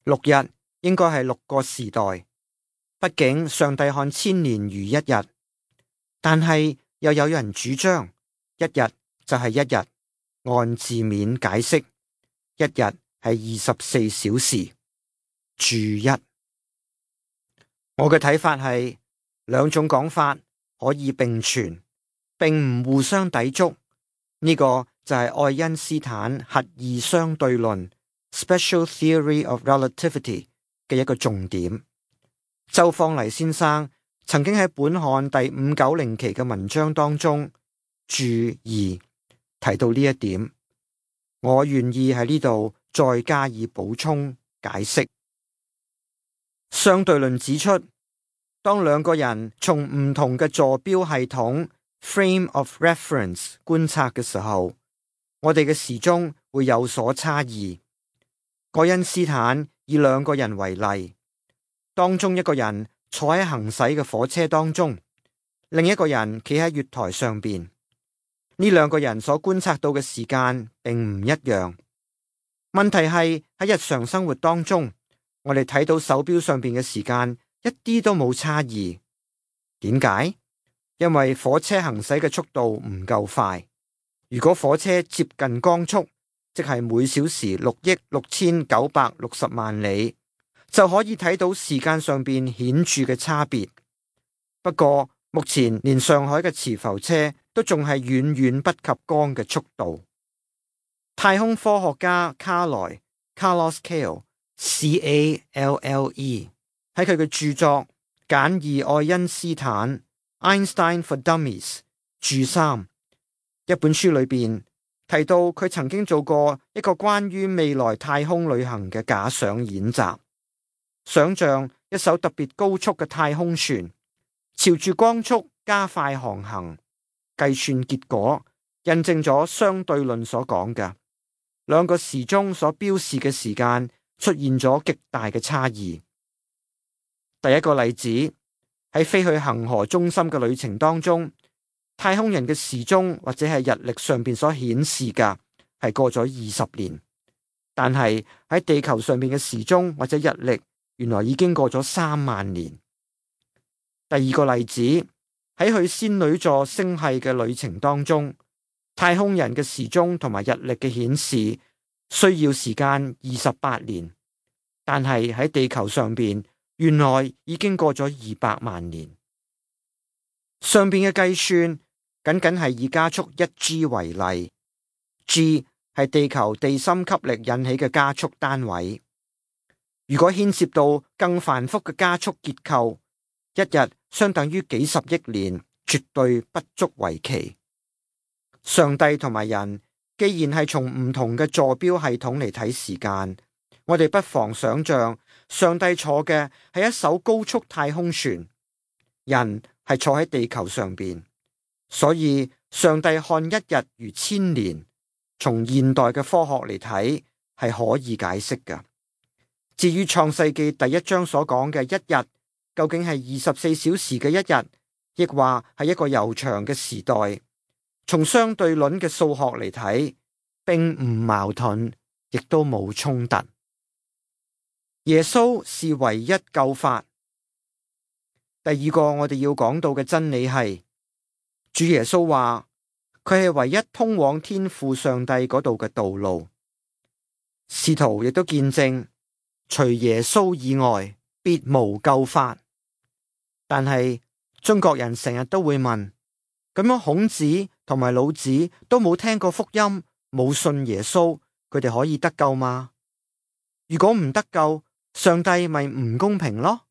六日應該係六個時代。畢竟上帝看千年如一日，但係又有人主張一日就係一日，按字面解釋，一日係二十四小時。注一，我嘅睇法係兩種講法可以並存，並唔互相抵觸。呢、這個就係愛因斯坦核二相對論 （Special Theory of Relativity） 嘅一個重點。周方黎先生曾經喺本刊第五九零期嘅文章當中注二提到呢一點，我願意喺呢度再加以補充解釋。相對論指出，當兩個人從唔同嘅坐標系統 （frame of reference） 觀察嘅時候，我哋嘅時鐘會有所差異。愛因斯坦以兩個人為例，當中一個人坐喺行駛嘅火車當中，另一個人企喺月台上邊。呢兩個人所觀察到嘅時間並唔一樣。問題係喺日常生活當中，我哋睇到手錶上邊嘅時間一啲都冇差異。點解？因為火車行駛嘅速度唔夠快。如果火車接近光速，即係每小時六億六千九百六十萬里，就可以睇到時間上邊顯著嘅差別。不過目前連上海嘅磁浮車都仲係遠遠不及光嘅速度。太空科學家卡萊 Carlos Cale C A L L E 喺佢嘅著作《簡易愛因斯坦 Einstein for Dummies》注三一本書裏邊提到，佢曾經做過一個關於未來太空旅行嘅假想演習，想象一艘特別高速嘅太空船朝住光速加快航行。計算結果印證咗相對論所講嘅，兩個時鐘所標示嘅時間出現咗極大嘅差異。第一個例子，喺飛去恆河中心嘅旅程當中，太空人嘅時鐘或者係日曆上邊所顯示嘅係過咗二十年，但係喺地球上邊嘅時鐘或者日曆原來已經過咗三萬年。第二個例子，喺去仙女座星系嘅旅程當中，太空人嘅時鐘同埋日曆嘅顯示需要時間二十八年，但係喺地球上邊原來已經過咗二百萬年。上邊嘅計算僅僅係以加速一 G 為例 ，G 係地球地心吸力引起嘅加速單位。如果牽涉到更繁複嘅加速結構，一日相等於幾十億年，絕對不足為奇。上帝同埋人既然係從唔同嘅坐標系統嚟睇時間，我哋不妨想象上帝坐嘅係一艘高速太空船，人係坐喺地球上邊，所以上帝看一日如千年，從現代嘅科學嚟睇係可以解釋嘅。至於創世記第一章所講嘅一日究竟係二十四小時嘅一日，亦話係一個悠長嘅時代，從相對論嘅數學嚟睇，並唔矛盾，亦都冇衝突。耶穌是唯一救法。第二個我哋要講到嘅真理係，主耶穌話佢係唯一通往天父上帝嗰度嘅道路。使徒亦都見證，除耶穌以外，別無救法。但係中國人成日都會問，咁樣孔子同埋老子都冇聽過福音，冇信耶穌，佢哋可以得救嗎？如果唔得救，上帝咪唔公平咯？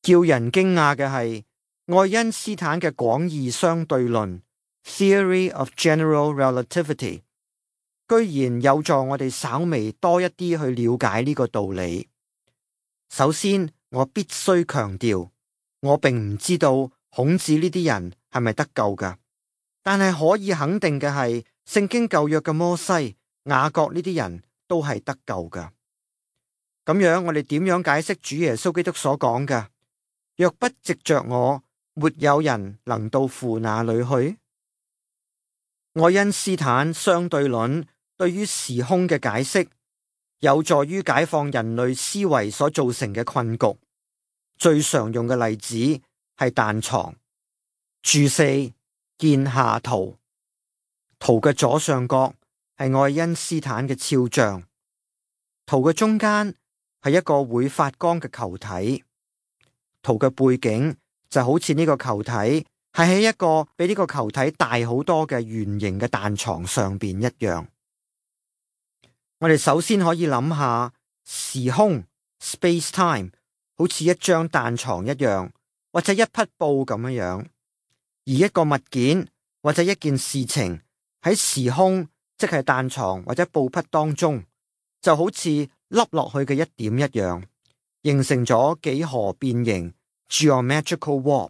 叫人驚訝嘅係，愛因斯坦嘅廣義相對論 （Theory of General Relativity） 居然有助我哋稍微多一啲去了解呢個道理。首先，我必須強調，我並唔知道孔子呢啲人係咪得救㗎，但係可以肯定嘅係，聖經舊約嘅摩西、雅各呢啲人都係得救㗎。咁樣我哋點樣解釋主耶穌基督所講嘅？若不藉着我，沒有人能到父那裏去。愛因斯坦相對論對於時空嘅解釋，有助於解放人類思維所造成嘅困局。最常用嘅例子係彈床。注四，見下圖。圖嘅左上角係愛因斯坦嘅肖像，圖嘅中間係一個會發光嘅球體，圖嘅背景就好似呢個球體係喺一個比呢個球體大好多嘅圓形嘅彈床上邊一樣。我哋首先可以諗下時空 space time 好似一張彈床一樣，或者一匹布咁樣樣，而一個物件或者一件事情喺時空，即係彈床或者布匹當中，就好似凹落去嘅一點一樣，形成咗幾何變形 geometrical warp。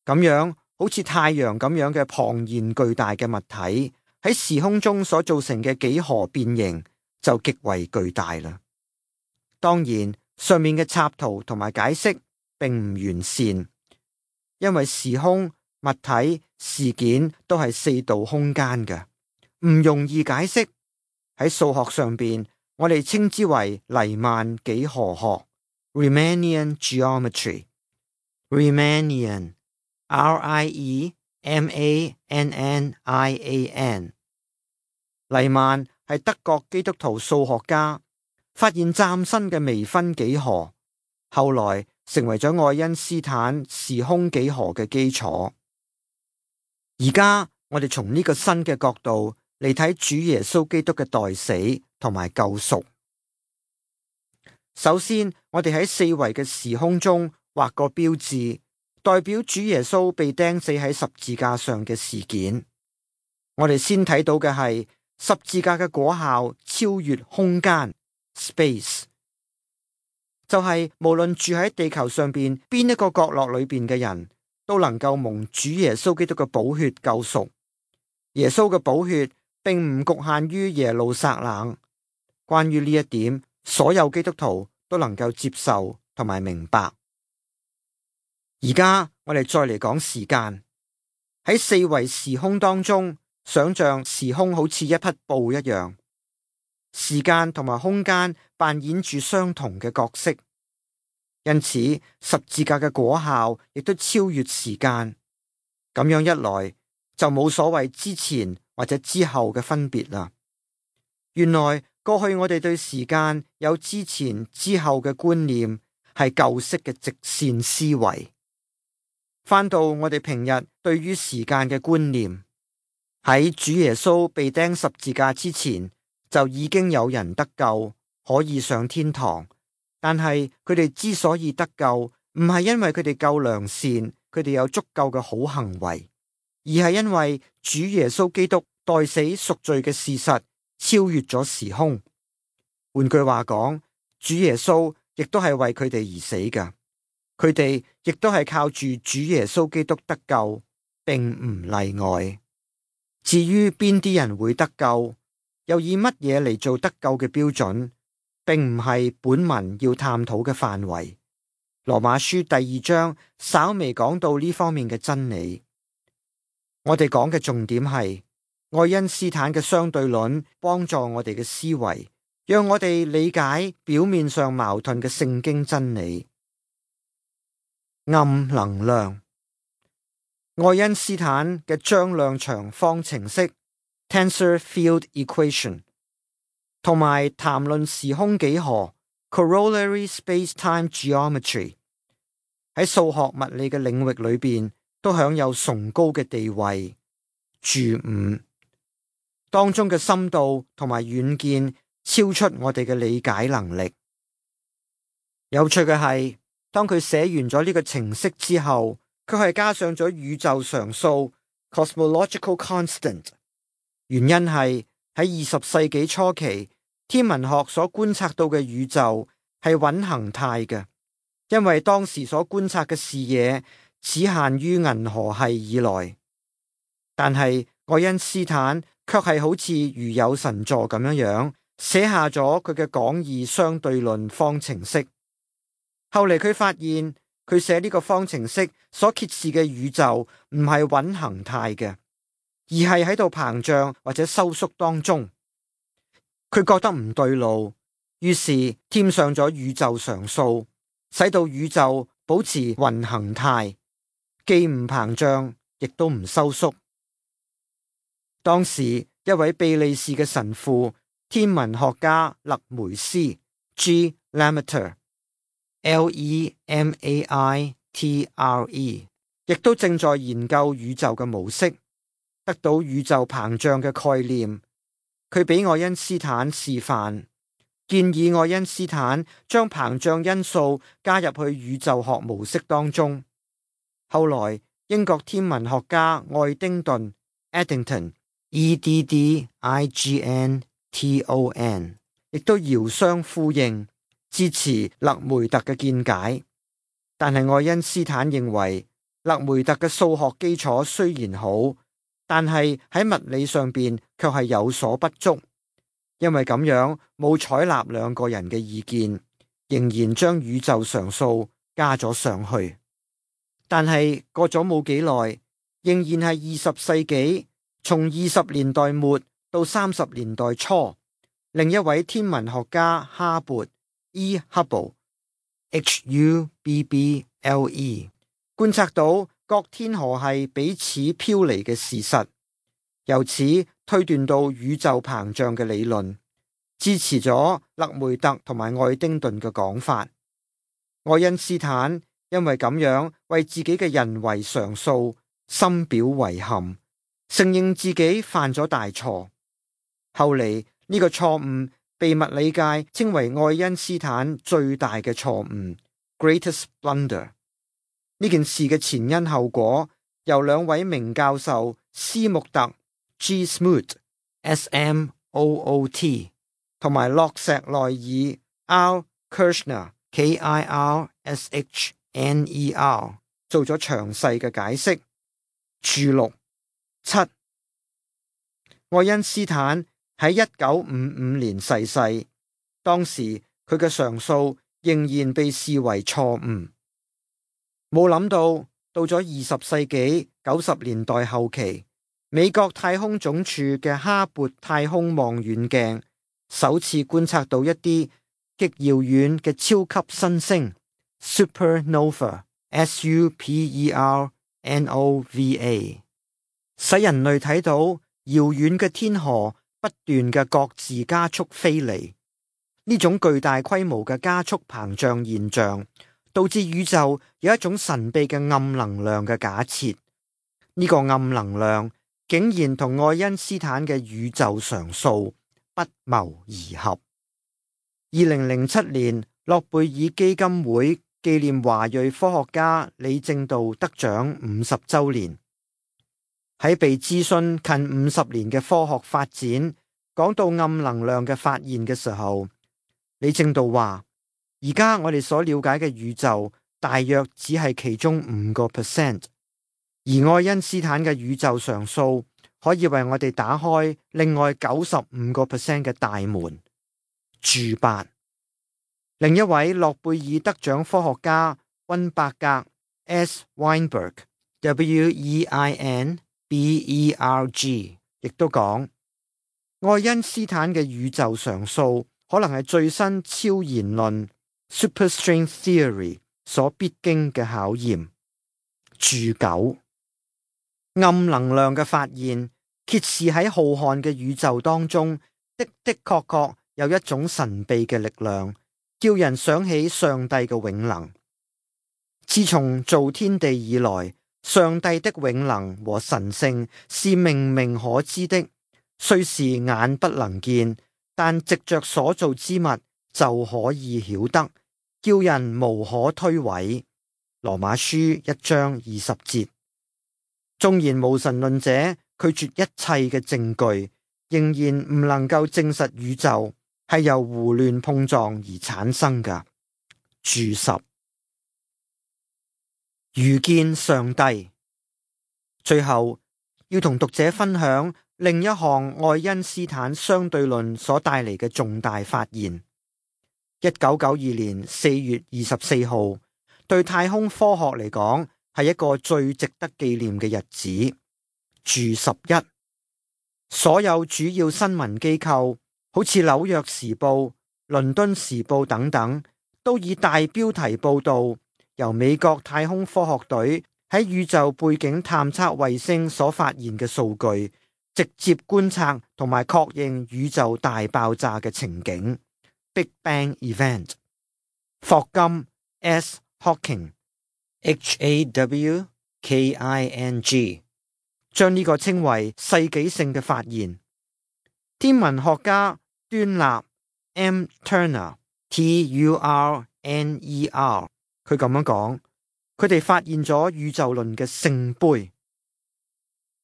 咁樣好似太陽咁樣嘅龐然巨大嘅物體喺時空中所造成嘅幾何變形就極為巨大啦。當然，上面嘅插圖同埋解釋並唔完善，因為時空、物體、事件都係四度空間嘅，唔容易解釋。喺數學上邊，我哋稱之為黎曼幾何學 （Riemannian geometry）。Riemannian，R I E M A N N I A N。黎曼係德國基督徒數學家，發現嶄新嘅微分幾何，後來成為咗愛因斯坦時空幾何嘅基礎。而家我哋從呢個新嘅角度嚟睇主耶穌基督嘅代死同埋救贖。首先，我哋喺四維嘅時空中畫個標誌，代表主耶穌被釘死喺十字架上嘅事件。我哋先睇到嘅係十字架嘅果效超越空間 space， 就係無論住喺地球上邊邊一個角落裏邊嘅人都能夠蒙主耶穌基督嘅寶血救贖。耶穌嘅寶血並唔局限於耶路撒冷。關於呢一點，所有基督徒都能夠接受同埋明白。而家我哋再嚟講時間，喺四維時空當中，想象時空好似一匹布一樣，時間同埋空間扮演住相同嘅角色，因此十字架嘅果效亦都超越時間。咁樣一來，就冇所謂之前或者之後嘅分別啦。原來過去我哋對時間有之前之後嘅觀念，係舊式嘅直線思維。翻到我哋平日對於時間嘅觀念，喺主耶穌被釘十字架之前，就已經有人得救，可以上天堂。但係佢哋之所以得救，唔係因為佢哋夠良善，佢哋有足夠嘅好行為，而係因為主耶穌基督代死贖罪嘅事實超越咗時空。換句話講，主耶穌亦都係為佢哋而死㗎。佢哋亦都係靠住主耶穌基督得救，並唔例外。至於邊啲人會得救，又以乜嘢嚟做得救嘅標準，並唔係本文要探討嘅範圍。羅馬書第二章稍微講到呢方面嘅真理。我哋講嘅重點係愛因斯坦嘅相對論，幫助我哋嘅思維，讓我哋理解表面上矛盾嘅聖經真理。暗能量，愛因斯坦嘅張量場方程式 Tensor Field Equation 同埋談論時空幾何 Corollary Space-Time Geometry 喺數學物理嘅領域裏邊都享有崇高嘅地位。注五當中嘅深度同埋遠見超出我哋嘅理解能力。有趣嘅係，當佢寫完咗呢個程式之後，佢係加上咗宇宙常數 Cosmological Constant。原因係喺二十世紀初期，天文學所觀察到嘅宇宙係穩恒態嘅，因為當時所觀察嘅視野只限於銀河系以內。但係愛因斯坦卻係好似如有神助咁樣樣寫下咗佢嘅廣義相對論方程式。後嚟佢發現，佢寫呢個方程式所揭示嘅宇宙唔係穩恒態嘅，而係喺度膨脹或者收縮當中。佢覺得唔對路，於是添上咗宇宙常數，使到宇宙保持均衡態，既唔膨脹，亦都唔收縮。當時一位比利時嘅神父天文學家勒梅斯 G. Lemaître，L E M A I T R E， 亦都正在研究宇宙嘅模式，得到宇宙膨脹嘅概念。佢俾愛因斯坦示範，建議愛因斯坦將膨脹因素加入去宇宙學模式當中。後來英國天文學家愛丁頓 Eddington E D D I G N T O N 亦都遙相呼應，支持勒梅特嘅見解。但係愛因斯坦認為勒梅特嘅數學基礎雖然好，但係喺物理上邊卻係有所不足，因為咁樣冇採納兩個人嘅意見，仍然將宇宙常數加咗上去。但係過咗冇幾耐，仍然係二十世紀，從二十年代末到三十年代初，另一位天文學家哈勃 E. Hubble H U B B L E 觀察到各天河系彼此飄離嘅事實，由此推斷到宇宙膨脹嘅理論，支持咗勒梅特同埋愛丁頓嘅講法。愛因斯坦因為咁樣為自己嘅人為常數深表遺憾，承認自己犯咗大錯。後嚟呢個錯誤被物理界稱為愛因斯坦最大嘅錯誤 （Greatest Blunder）。呢件事嘅前因後果由兩位名教授斯穆特 G. Smoot S M O O T 同埋洛石內爾 R. Kirshner K I R S H N E R 做咗詳細嘅解釋。註錄七，愛因斯坦喺一九五五年逝世，當時佢嘅常數仍然被視為錯誤。冇諗到到咗二十世紀九十年代後期，美國太空總署嘅哈勃太空望遠鏡首次觀察到一啲極遙遠嘅超級新星 Supernova S U P E R N O V A， 使人類睇到遙遠嘅天河不斷嘅各自加速飛離。呢種巨大規模嘅加速膨脹現象，導致宇宙有一種神秘嘅暗能量嘅假設。呢個暗能量竟然同愛因斯坦嘅宇宙常數不謀而合。二零零七年，諾貝爾基金會紀念華裔科學家李政道得獎五十週年。喺被諮詢近五十年嘅科學發展，講到暗能量嘅發現嘅時候，李政道話：而家我哋所了解嘅宇宙大約只係其中五個 percent， 而愛因斯坦嘅宇宙常數可以為我哋打開另外九十五個 percent 嘅大門。註八，另一位諾貝爾得獎科學家溫伯格 S. Weinberg W E I N B E R G 亦都講，愛因斯坦嘅宇宙常數可能係最新超弦論 Superstring Theory 所必經嘅考驗。註九，暗能量嘅發現揭示喺浩瀚嘅宇宙當中的的確確有一種神秘嘅力量，叫人想起上帝嘅永能。自從造天地以來，上帝的永能和神性是明明可知的，雖是眼不能見，但藉着所造之物就可以曉得，叫人無可推諉。羅馬書一章二十節。縱然無神論者拒絕一切嘅證據，仍然唔能夠證實宇宙係由胡亂碰撞而產生㗎。註十，遇見上帝。最後要同讀者分享另一項愛因斯坦相對論所帶嚟嘅重大發現。一九九二年四月二十四號，對太空科學嚟講係一個最值得紀念嘅日子。註十一，所有主要新聞機構，好似紐約時報、倫敦時報等等，都以大標題報道由美國太空科學隊喺宇宙背景探測衛星所發現嘅數據，直接觀察同埋確認宇宙大爆炸嘅情景 （Big Bang Event）。霍金 S. Hawking H A W K I N G 將呢個稱為世紀性嘅發現。天文學家端納 M. Turner T U R N E R 佢咁樣講，佢哋發現咗宇宙論嘅聖杯。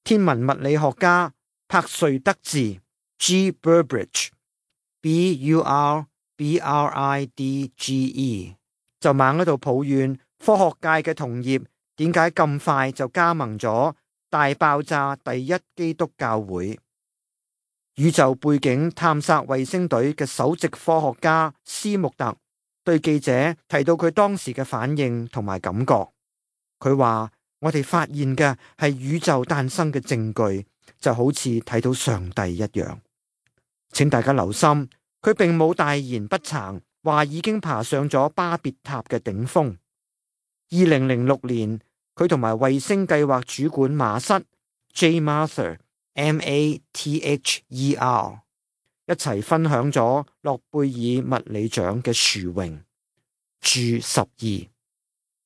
天文物理學家柏瑞德治 G. Burbridge B U R B R I D G E 就猛喺度抱怨科學界嘅同業點解咁快就加盟咗大爆炸第一基督教會。宇宙背景探索衛星隊嘅首席科學家斯穆特對記者提到佢當時嘅反應同埋感覺。佢話：我哋發現嘅係宇宙誕生嘅證據，就好似睇到上帝一樣。請大家留心，佢並冇大言不慚話已經爬上咗巴別塔嘅頂峰。二零零六年，佢同埋衛星計劃主管馬瑟 J. Mather M A T H E R 一齊分享咗諾貝爾物理獎嘅殊榮。注十二，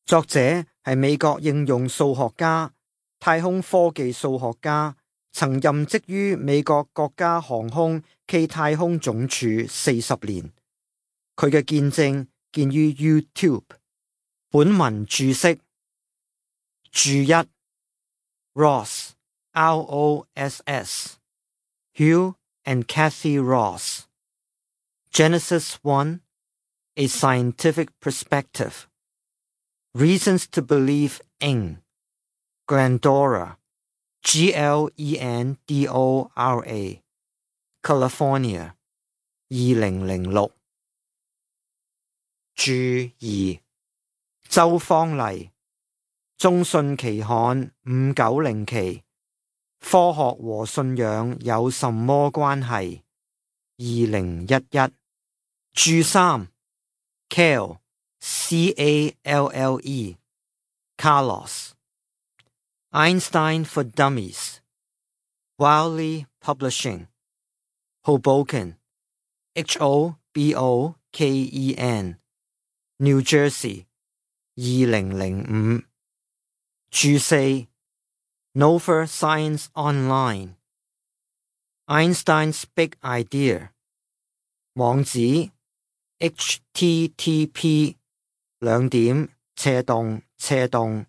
作者係美國應用數學家、太空科技數學家，曾任職於美國國家航空暨太空總署四十年。佢嘅見證見於 YouTube。本文注釋注一 Ross R O S S Hugh and Kathy Ross Genesis one A Scientific Perspective Reasons to Believe in Glendora G L E N D O R A California 二零零六。注二周芳麗中信期刊五九零期科學和信仰有什麼關係？二零一一。注三 Calle C A L L E Carlos Einstein for Dummies Wiley Publishing Hoboken H O B O K E N New Jersey 二零零五。注四 Nova Science Online Einstein's Big Idea 網址 H T T P 兩點斜洞斜洞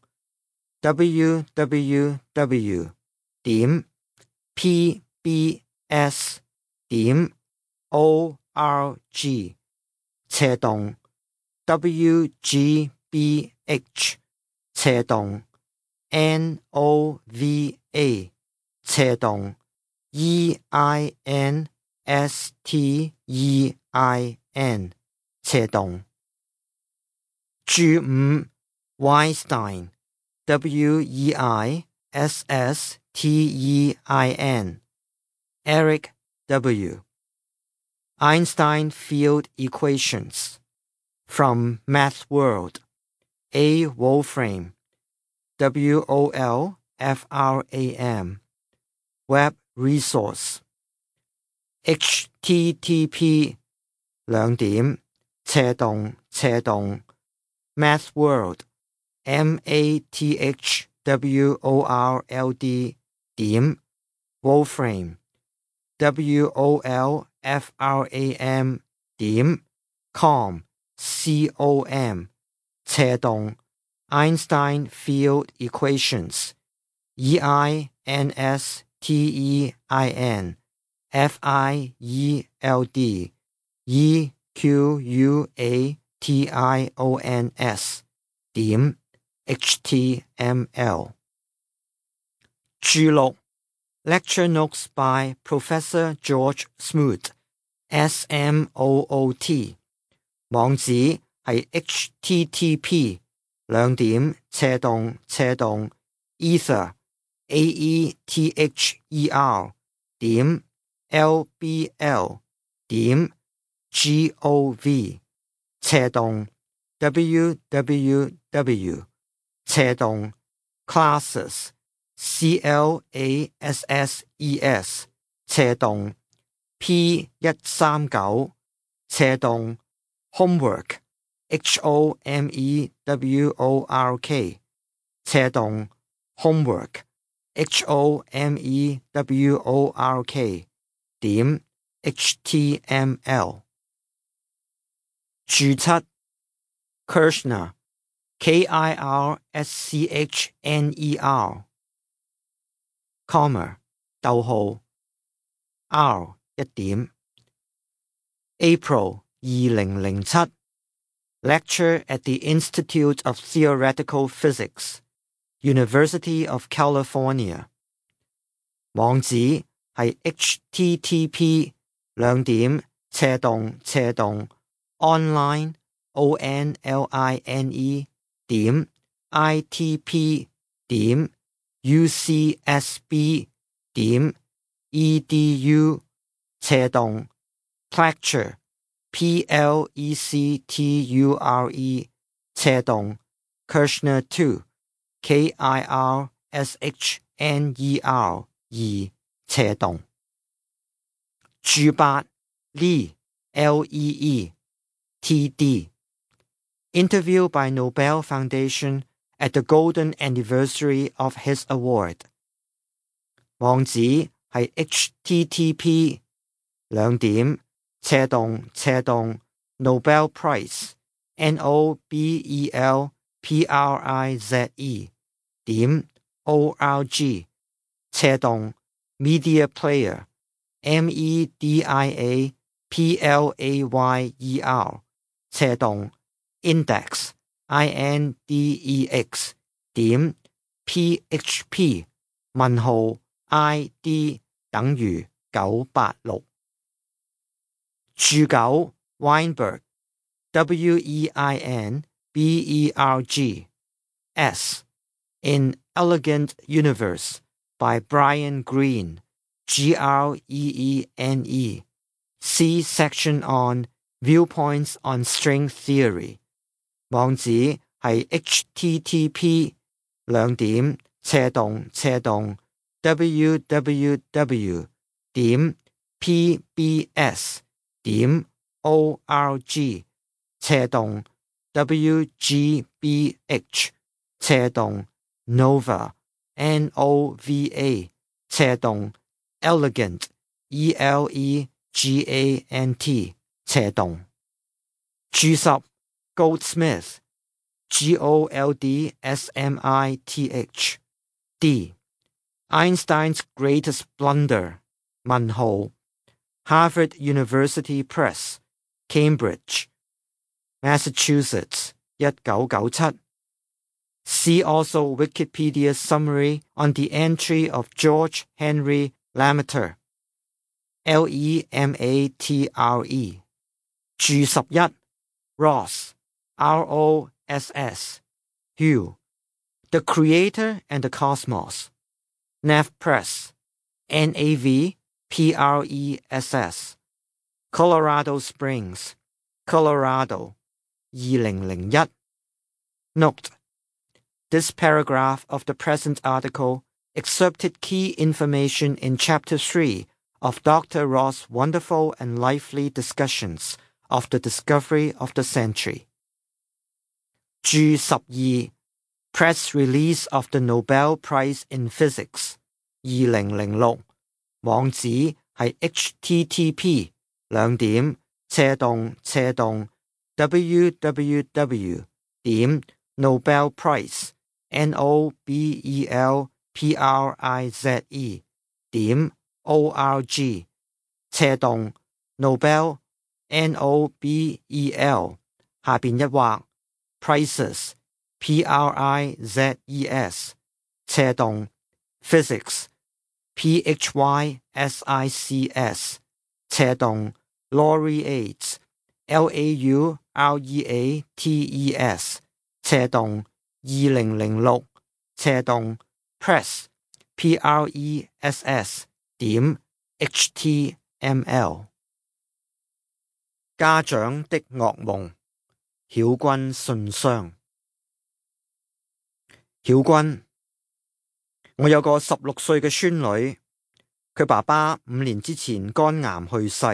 W W W 點 P B S 點 O R G 斜洞 W G B H 斜洞 N O V A 斜洞 E I N S T E I N 斜洞。注五 Weisstein W E I S S T E I N Eric W Einstein Field Equations From Math World A. Wolfram W O L F R A M Web Resource H T T P 兩點斜洞斜洞 Math World M A T H W O R L D 點 Wolfram W O L F R A M 點 com C O M 斜洞 Einstein Field Equations E I N S T E I N F I E L D E Q U A T I O N S 點 H T M L。 注六 Lecture Notes by Professor George Smoot S M O O T 網址係 H T T P 兩點斜洞斜洞 Ether A E T H E R 點 L B L 點 G O V 斜洞 W W W 斜洞 Classes C L A S S E S 斜洞 P 一三九 斜洞 homework H O M E W O R K 斜洞 homework H O M E W O R K 點 H T M L 註七 Kirschner K I R S C H N E R comma 逗號 R 一點 April 二零零七 Lecture at the Institute of Theoretical Physics University of California 網址係 H T T P 兩點斜洞斜洞 online O N L I N E 點 I T P 點 U C S B 點 E D U 斜洞 Plecture P L E C T U R E 斜洞 Kirschner 二 K I R S H N E R 二斜洞註八 Lee L E E T D Interview by Nobel Foundation at the golden anniversary of his award 網址係 H T T P 兩點斜洞斜洞 Nobel Prize N O B E L P R I Z E 點 O R G 斜洞 Media Player M E D I A P L A Y E R 斜洞 Index I N D E X 點 P H P 問號 I D 等於九八六註九 Weinberg W E I N B E R G S In Elegant Universe by Brian Greene G R E E N E See section on Viewpoints on String Theory 網址係 H T T P 兩點斜洞斜洞 W W W 點 P B S 點 O R G 斜洞 W G B H 斜洞 Nova N O V A 斜洞 Elegant E L E G A N T 斜洞註十 Goldsmith G O L D S M I T H D Einstein's Greatest Blunder 問號 Harvard University Press Cambridge Massachusetts 一九九七 See also Wikipedia summary on the entry of George Henry Lemaître L E M A T R E 註十一 Ross R O S S Hugh The Creator and the Cosmos Nav Press N A V P R E S S Colorado Springs Colorado 二零零一 Note This paragraph of the present article excerpted key information in Chapter three of Doctor Ross' wonderful and lively discussions of the discovery of the century. 註十二 Press Release of the Nobel Prize in Physics 二零零六網址係 H T T P 兩點斜洞斜洞 W W W 點 Nobel Prize N O B E L P R I Z E 點 O R G 斜洞 Nobel N O B E L 下邊一畫 Prizes P R I Z E S 斜洞 Physics P H Y S I C S 斜洞 Laureates L A U R E A T E S 斜洞二零零六斜洞 Press P R E S S 點 H T M L 家長的噩夢曉君信箱曉君我有個十六歲嘅孫女，佢爸爸五年之前肝癌去世。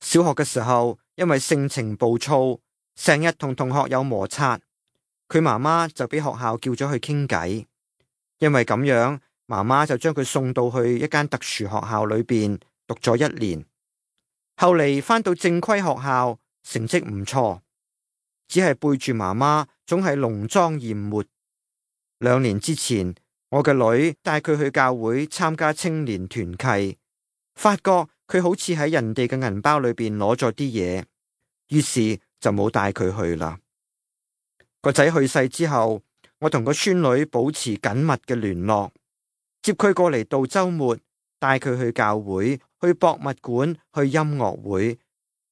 小學嘅時候，因為性情暴躁，成日同同學有摩擦，佢媽媽就俾學校叫咗去傾偈。因為咁樣，媽媽就將佢送到去一間特殊學校裏邊讀咗一年。後嚟返到正規學校，成績唔錯，只係背住媽媽，總係濃妝豔抹。兩年之前，我嘅女帶佢去教會參加青年團契，發覺佢好似喺人哋嘅銀包裏邊攞咗啲嘢，於是就冇帶佢去啦。個仔去世之後，我同個孫女保持緊密嘅聯絡，接佢過嚟度週末，帶佢去教會、去博物館、去音樂會，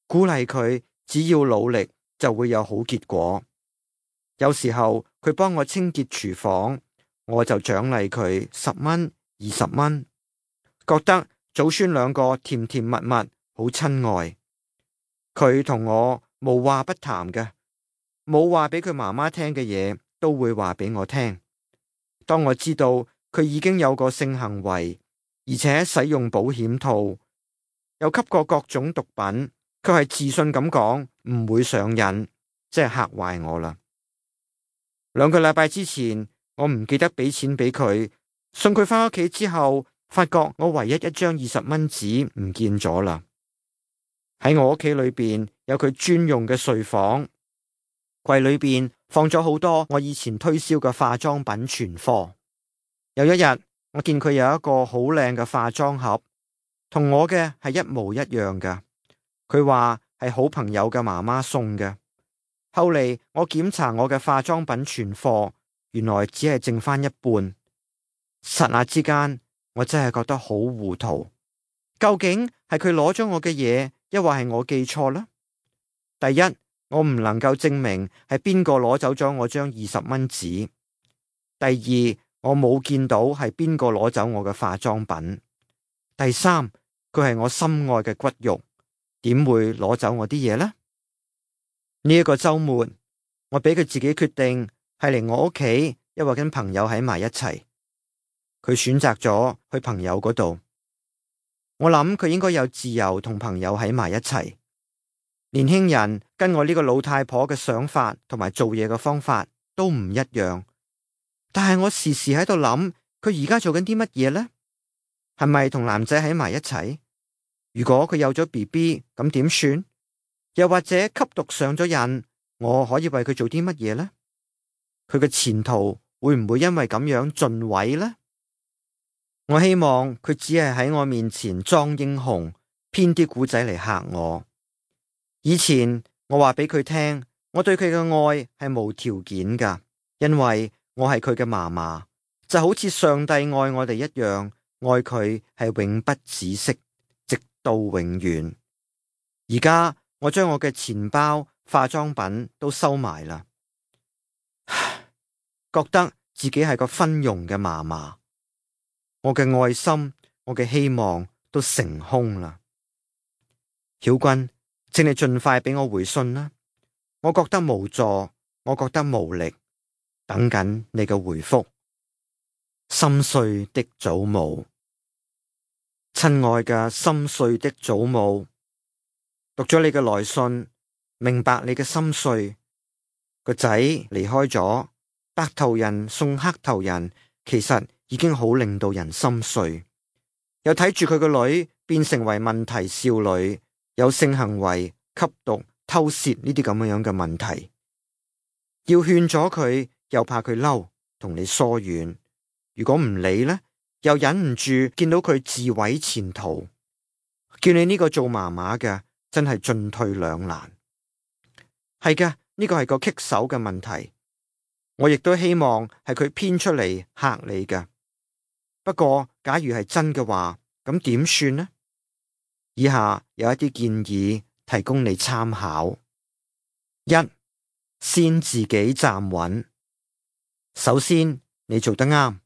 鼓勵佢只要努力就會有好結果。有時候佢幫我清潔廚房，我就獎勵佢十蚊、二十蚊，覺得祖孫兩個甜甜蜜蜜，好親愛。佢同我無話不談嘅，冇話俾佢媽媽聽嘅嘢，都會話俾我聽。當我知道佢已經有個性行為，而且使用保險套，又吸過各種毒品，佢係自信咁講唔會上癮，即係嚇壞我啦。兩個禮拜之前，我唔記得俾錢俾佢，送佢返屋企之後，發覺我唯一一張二十蚊紙唔見咗啦。喺我屋企裏邊有佢專用嘅睡房，櫃裏邊放咗好多我以前推銷嘅化妝品存貨。有一日，我見佢有一個好靚嘅化妝盒，同我嘅係一模一樣嘅。佢話係好朋友嘅媽媽送嘅。後嚟我檢查我嘅化妝品存貨，原來只係剩翻一半。剎那之間，我真係覺得好糊塗。究竟係佢攞咗我嘅嘢，抑或係我記錯啦？第一，我唔能夠證明係邊個攞走咗我張二十蚊紙。第二，我冇見到係邊個攞走我嘅化妝品。第三，佢係我心愛嘅骨肉，點會攞走我啲嘢呢？呢一個周末，我俾佢自己決定係嚟我屋企，抑或跟朋友喺埋一齊。佢選擇咗去朋友嗰度。我諗佢應該有自由同朋友喺埋一齊。年輕人跟我呢個老太婆嘅想法同埋做嘢嘅方法都唔一樣，但係我時時喺度諗，佢而家做緊啲乜嘢呢？係咪同男仔喺埋一齊？如果佢有咗 B B， 咁點算？又或者吸毒上咗癮，我可以為佢做啲乜嘢呢？佢嘅前途會唔會因為咁樣盡毀呢？我希望佢只係喺我面前裝英雄，編啲古仔嚟嚇我。以前我話俾佢聽，我對佢嘅愛係無條件噶，因為我係佢嘅嫲嫲，就好似上帝愛我哋一樣，愛佢係永不止息，直到永遠。而家我將我嘅錢包、化妝品都收埋啦，覺得自己係個昏庸嘅嫲嫲，我嘅愛心、我嘅希望都成空啦。曉君，請你盡快俾我回信啦，我覺得無助，我覺得無力，等緊你嘅回覆。心碎的祖母，親愛嘅心碎的祖母，讀咗你嘅來信，明白你嘅心碎。個仔離開咗，白頭人送黑頭人，其實已經好令到人心碎。又睇住佢個女變成為問題少女，有性行為、吸毒、偷竊呢啲咁樣嘅問題，要勸咗佢，又怕佢嬲，同你疏遠。如果唔理呢，又忍唔住見到佢自毀前途，叫你呢個做媽媽嘅真係進退兩難。係嘅，呢個係個棘手嘅問題。我亦都希望係佢編出嚟嚇你嘅。不過假如係真嘅話，咁點算呢？以下有一啲建議提供你參考。一，先自己站穩。首先，你做得啱，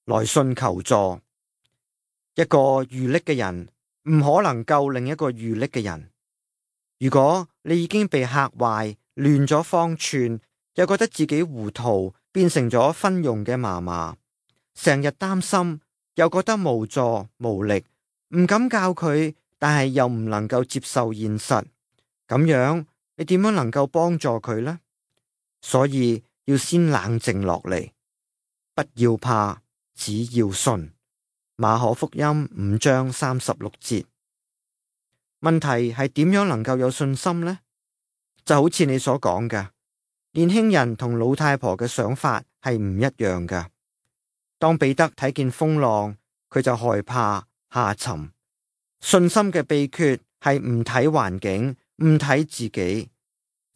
來信求助。一個遇溺嘅人唔可能救另一個遇溺嘅人。如果你已經被嚇壞，亂咗方寸，又覺得自己糊塗，變成咗昏庸嘅嫲嫲，成日擔心，又覺得無助無力，唔敢教佢，但係又唔能夠接受現實，咁樣你點樣能夠幫助佢呢？所以要先冷靜落嚟，不要怕，只要信。馬可福音五章三十六節。問題係點樣能夠有信心呢？就好似你所講嘅，年輕人同老太婆嘅想法係唔一樣㗎。當彼得睇見風浪，佢就害怕下沉。信心嘅秘訣係唔睇環境，唔睇自己。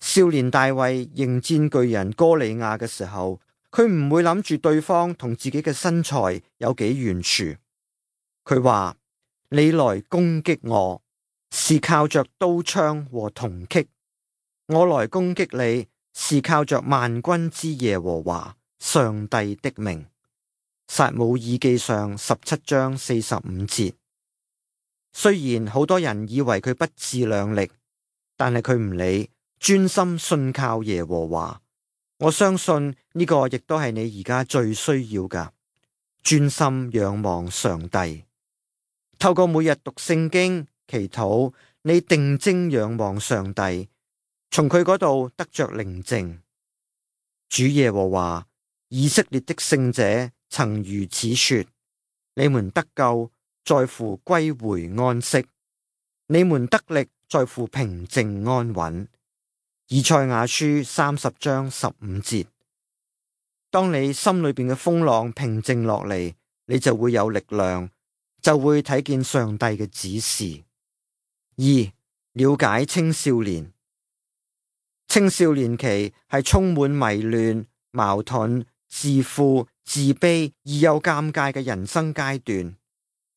少年大衛迎戰巨人哥利亞嘅時候，佢唔會諗住對方同自己嘅身材有幾懸殊。佢話：你來攻擊我，是靠着刀槍和銅戟。我來攻擊你，是靠着萬軍之耶和華上帝的名。撒母耳記上十七章四十五節。雖然好多人以為佢不自量力，但係佢唔理，專心信靠耶和華。我相信呢個亦都係你而家最需要噶，專心仰望上帝。透過每日讀聖經、祈禱，你定睛仰望上帝。從佢嗰度得着寧靜。主耶和華，以色列的聖者曾如此說：你們得救在乎歸回安息，你們得力在乎平靜安穩。以賽亞書三十章十五節。當你心裏邊嘅風浪平靜落嚟，你就會有力量，就會睇見上帝嘅指示。二、了解青少年。青少年期係充滿迷亂、矛盾、自負、自卑而又尷尬嘅人生階段，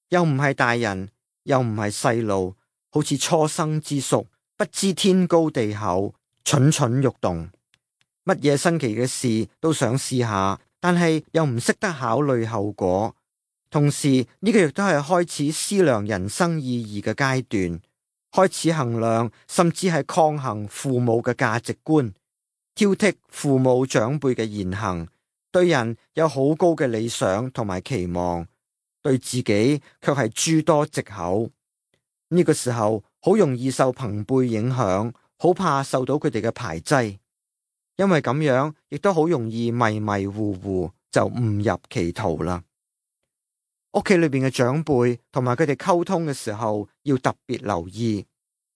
又唔係大人，又唔係細路，好似初生之犢，不知天高地厚，蠢蠢欲動，乜嘢新奇嘅事都想試下，但係又唔識得考慮後果。同時呢個亦都係開始思量人生意義嘅階段。開始衡量，甚至係抗衡父母嘅價值觀，挑剔父母長輩嘅言行，對人有好高嘅理想同埋期望，對自己卻係諸多藉口。呢個時候好容易受朋輩影響，好怕受到佢哋嘅排擠，因為咁樣亦都好容易迷迷糊糊就誤入歧途啦。屋企裏邊嘅長輩同埋佢哋溝通嘅時候，要特別留意，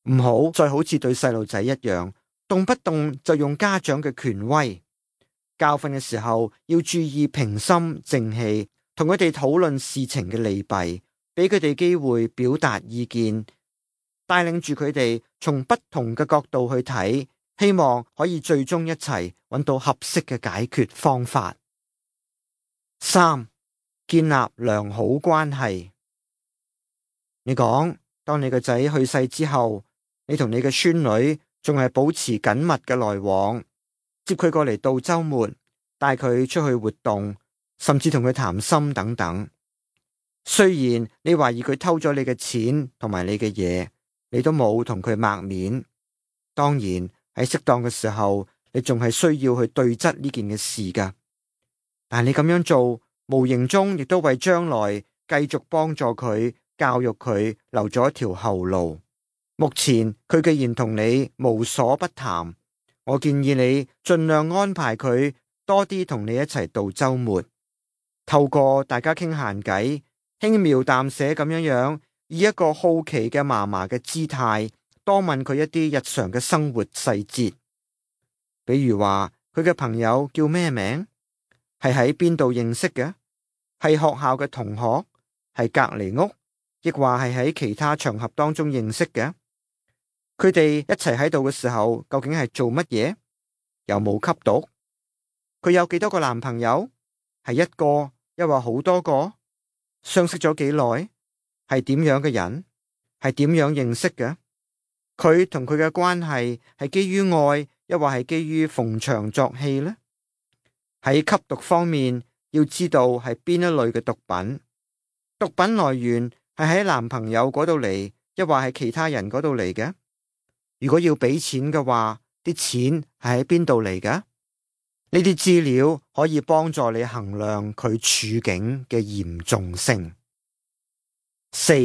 唔好再好似對細路仔一樣，動不動就用家長嘅權威。教訓嘅時候要注意平心靜氣，同佢哋討論事情嘅利弊，俾佢哋機會表達意見，帶領住佢哋從不同嘅角度去睇，希望可以最終一齊揾到合適嘅解決方法。三、建立良好關係。你講，當你個仔去世之後，你同你嘅孫女仲係保持緊密嘅來往，接佢過嚟度週末，帶佢出去活動，甚至同佢談心等等。雖然你懷疑佢偷咗你嘅錢同埋你嘅嘢，你都冇同佢抹面。當然喺適當嘅時候，你仲係需要去對質呢件嘅事噶。但係你咁樣做，無形中亦都為將來繼續幫助佢、教育佢留咗一條後路。目前佢既然同你無所不談，我建議你盡量安排佢多啲同你一齊度週末，透過大家傾閒偈，輕描淡寫咁樣樣，以一個好奇嘅嫲嫲嘅姿態，多問佢一啲日常嘅生活細節，比如話佢嘅朋友叫咩名，係喺邊度認識嘅，係學校嘅同學，係隔離屋，亦話係喺其他場合當中認識嘅。佢哋一齊喺度嘅時候，究竟係做乜嘢？有冇吸毒？佢有幾多個男朋友？係一個，抑或好多個？相識咗幾耐？係點樣嘅人？係點樣認識嘅？佢同佢嘅關係係基於愛，抑或係基於逢場作戲呢？喺吸毒方面，要知道係邊一類嘅毒品，毒品來源係喺男朋友嗰度嚟，抑或係其他人嗰度嚟嘅？如果要俾錢嘅話，啲錢係喺邊度嚟㗎？呢啲資料可以幫助你衡量佢處境嘅嚴重性。四、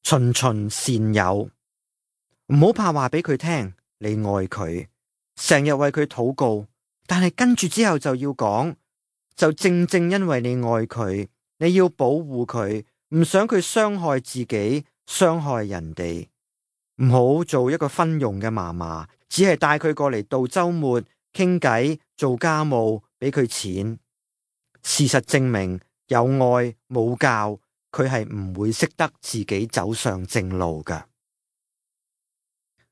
循循善誘，唔好怕話俾佢聽你愛佢，成日為佢禱告，但係跟住之後就要講，就正正因為你愛佢，你要保護佢，唔想佢傷害自己，傷害人哋。唔好做一個昏庸嘅嫲嫲，只係帶佢過嚟度周末傾偈、做家務，俾佢錢。事實證明，有愛冇教，佢係唔會識得自己走上正路㗎。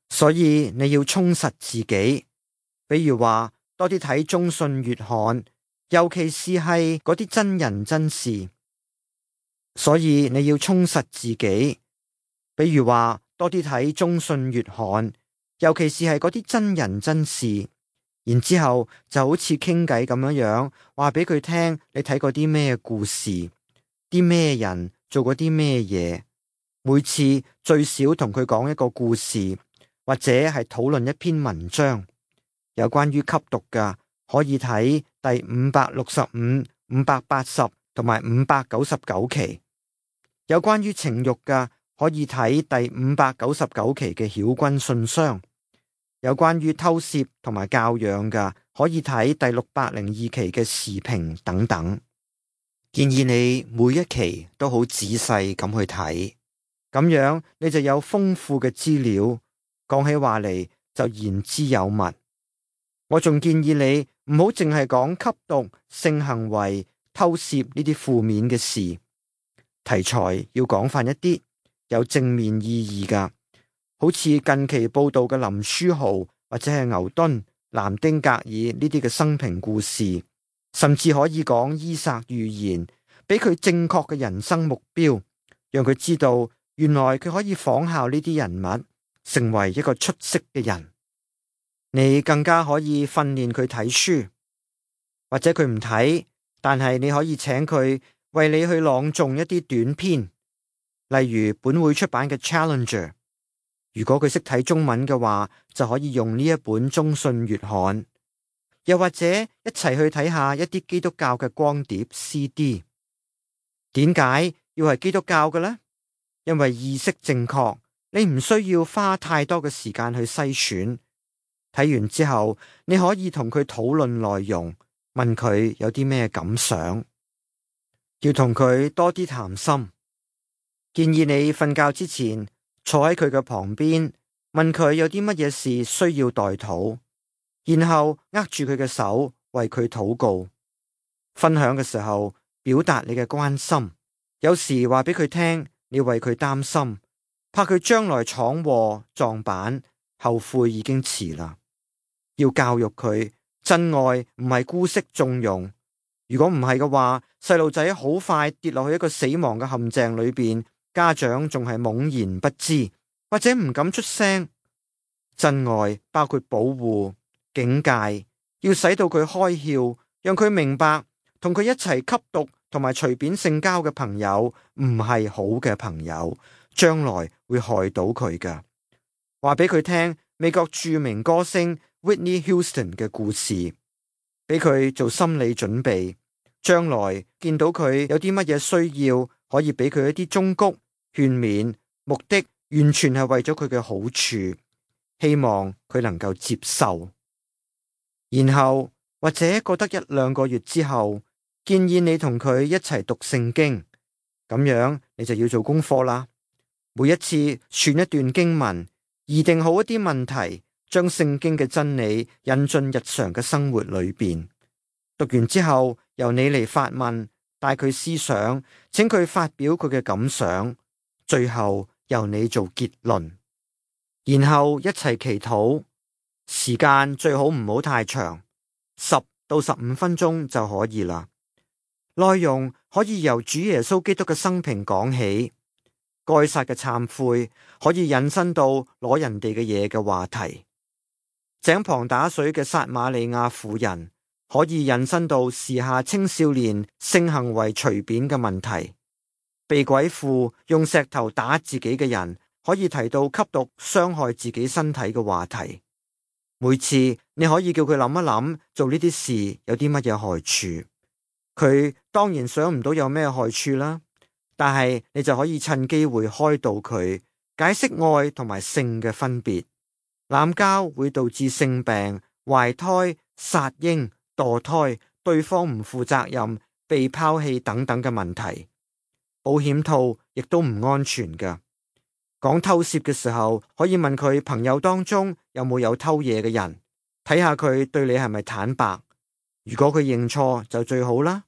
所以你要充實自己，比如話多啲睇中信月刊，尤其是係嗰啲真人真事。所以你要充實自己，比如話多啲睇中信月刊，尤其是係嗰啲真人真事。然之後就好似傾偈咁樣樣，話俾佢聽你睇過啲咩故事，啲咩人做過啲咩嘢。每次最少同佢講一個故事，或者係討論一篇文章。有關於吸毒嘅，可以睇第五百六十五、五百八十同埋五百九十九期。有關於情欲嘅，可以睇第五百九十九期嘅曉君信箱。有關於偷竊同埋教養嘅，可以睇第六百零二期嘅時評等等。建議你每一期都好仔細咁去睇，咁樣你就有豐富嘅資料，講起話嚟就言之有物。我仲建議你唔好淨係講吸毒、性行為、偷竊呢啲負面嘅事，題材要廣泛一啲，有正面意義噶。好似近期報道嘅林書豪或者係牛頓、南丁格爾呢啲嘅生平故事，甚至可以講伊撒寓言，俾佢正確嘅人生目標，讓佢知道原來佢可以仿效呢啲人物，成為一個出色嘅人。你更加可以訓練佢睇書，或者佢唔睇，但係你可以請佢為你去朗誦一啲短篇，例如本會出版嘅 Challenger。如果佢識睇中文嘅話，就可以用呢一本中信月刊，又或者一齊去睇下一啲基督教嘅光碟 C D。點解要係基督教嘅呢？因為意識正確，你唔需要花太多嘅時間去篩選。睇完之後，你可以同佢討論內容，問佢有啲咩感想，要同佢多啲談心。建議你瞓覺之前，坐喺佢嘅旁邊，問佢有啲乜嘢事需要代禱，然後握住佢嘅手，為佢禱告。分享嘅時候，表達你嘅關心。有時話俾佢聽，你為佢擔心，怕佢將來闖禍撞板，後悔已經遲啦。要教育佢，真愛唔係姑息縱容。如果唔係嘅話，細路仔好快跌落去一個死亡嘅陷阱裏邊。家長仲係懵然不知，或者唔敢出聲。真愛包括保護、警戒，要使到佢開竅，讓佢明白同佢一齊吸毒同埋隨便性交嘅朋友唔係好嘅朋友，將來會害到佢㗎。話俾佢聽美國著名歌星 Whitney Houston 嘅故事，俾佢做心理準備，將來見到佢有啲乜嘢需要，可以俾佢一啲忠告勸勉，目的完全係為咗佢嘅好處，希望佢能夠接受。然後或者過得一兩個月之後，建議你同佢一齊讀聖經，咁樣你就要做功課啦。每一次選一段經文，擬定好一啲問題，將聖經嘅真理引進日常嘅生活裏邊。讀完之後，由你嚟發問，帶佢思想，請佢發表佢嘅感想，最後由你做結論，然後一齊祈禱。時間最好唔好太長，十到十五分鐘就可以啦。內容可以由主耶穌基督嘅生平講起，該撒嘅懺悔可以引申到攞人哋嘅嘢嘅話題，井旁打水嘅撒瑪利亞婦人可以引申到時下青少年性行為隨便嘅問題，被鬼附用石頭打自己嘅人可以提到吸毒傷害自己身體嘅話題。每次你可以叫佢諗一諗，做呢啲事有啲乜嘢害處。佢當然想唔到有咩害處啦，但係你就可以趁機會開導佢，解釋愛同埋性嘅分別。濫交會導致性病、懷胎、殺嬰、墮胎、對方唔負責任、被拋棄等等嘅問題。保險套亦都唔安全㗎。講偷竊嘅時候，可以問佢朋友當中有冇有偷嘢嘅人，睇下佢對你係咪坦白。如果佢認錯就最好啦。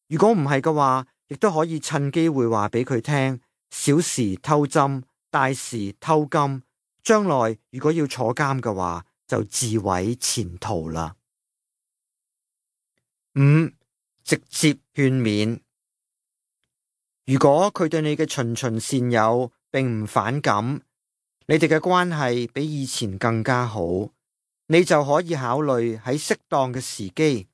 如果唔係嘅話，亦都可以趁機會話俾佢聽，小時偷針，大時偷金。將來如果要坐監嘅話，就自毀前途啦。五、直接勸勉。如果佢對你嘅循循善誘並唔反感，你哋嘅關係比以前更加好，你就可以考慮喺適當嘅時機，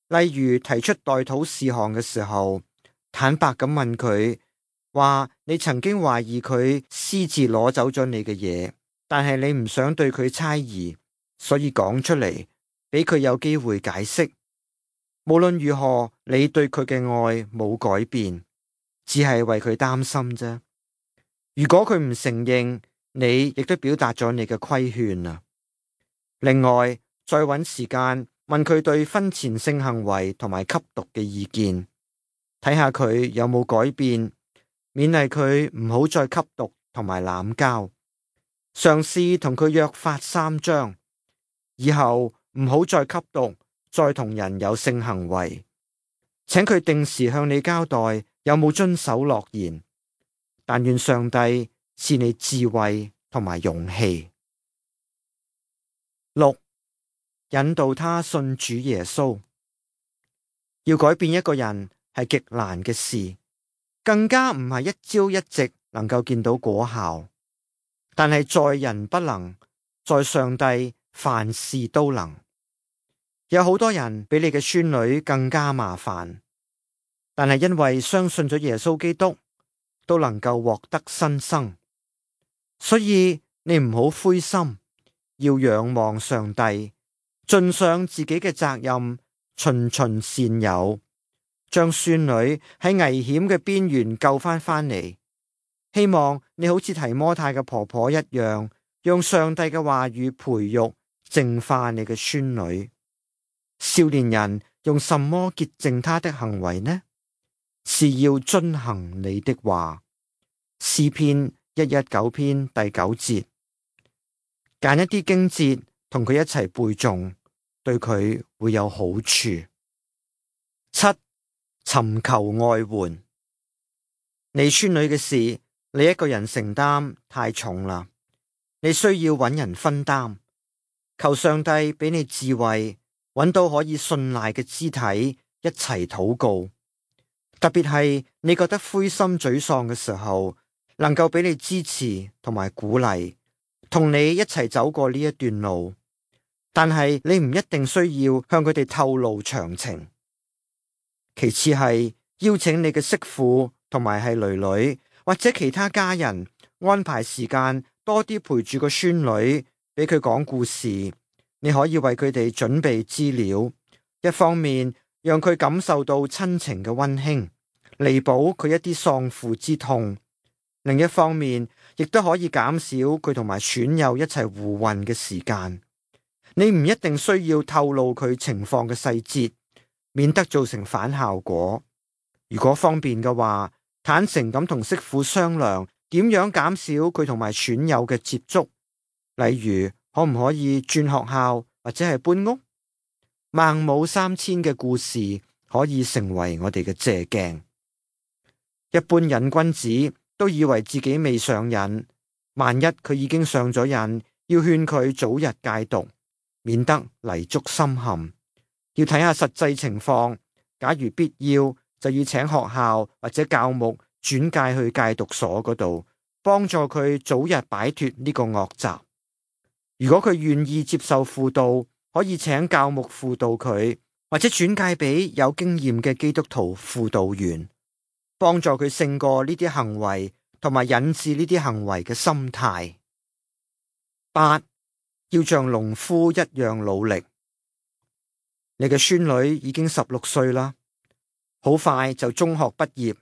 例如提出代禱事項嘅時候，坦白咁問佢，話你曾經懷疑佢私自攞走咗你嘅嘢，但係你唔想對佢猜疑，所以講出嚟，俾佢有機會解釋。無論如何，你對佢嘅愛冇改變，只係為佢擔心啫。如果佢唔承認，你亦都表達咗你嘅規勸啊。另外，再搵時間問佢對婚前性行為同埋吸毒嘅意見，睇下佢有冇改變，勉勵佢唔好再吸毒同埋濫交。嘗試同佢約法三章，以後唔好再吸毒，再同人有性行為。請佢定時向你交代有冇遵守諾言。但願上帝賜你智慧同埋勇氣。六、引導他信主耶穌。要改變一個人係極難嘅事，更加唔係一朝一夕能夠見到果效。但係在人不能，在上帝凡事都能。有好多人比你嘅孫女更加麻煩，但係因為相信咗耶穌基督，都能夠獲得新生。所以你唔好灰心，要仰望上帝，盡上自己嘅責任，循循善誘，將孫女喺危險嘅邊緣救翻返嚟。希望你好似提摩太嘅婆婆一樣，用上帝嘅話語培育淨化你嘅孫女。少年人用什麼潔淨他的行為呢？是要遵行你的話。詩篇一一九篇第九節。揀一啲經節同佢一齊背誦，對佢會有好處。七、尋求外援。你孫女嘅事，你一個人承擔太重啦，你需要揾人分擔。求上帝俾你智慧，揾到可以信賴嘅肢體，一齊禱告。特別係你覺得灰心沮喪嘅時候，能夠俾你支持同埋鼓勵，同你一齊走過呢一段路。但係你唔一定需要向佢哋透露詳情。其次係邀請你嘅媳婦同埋係囡囡或者其他家人安排時間多啲陪住個孫女，俾佢講故事。你可以為佢哋準備資料，一方面讓佢感受到親情嘅溫馨，彌補佢一啲喪父之痛；另一方面，亦都可以減少佢同埋損友一齊胡混嘅時間。你唔一定需要透露佢情況嘅細節，免得造成反效果。如果方便嘅話，坦誠咁同媳婦商量點樣減少佢同埋損友嘅接觸，例如可唔可以轉學校或者係搬屋。孟母三遷嘅故事可以成為我哋嘅借鏡。一般癮君子都以為自己未上癮，萬一佢已經上咗癮，要勸佢早日戒毒，免得泥足深陷。要睇下實際情況，假如必要，就要請學校或者教牧轉介去戒毒所嗰度，幫助佢早日擺脫呢個惡習。如果佢願意接受輔導，可以請教牧輔導佢，或者轉介俾有經驗嘅基督徒輔導員，幫助佢勝過呢啲行為同埋引致呢啲行為嘅心態。八、要像農夫一樣努力。你嘅孫女已經十六歲啦，好快就中學畢業。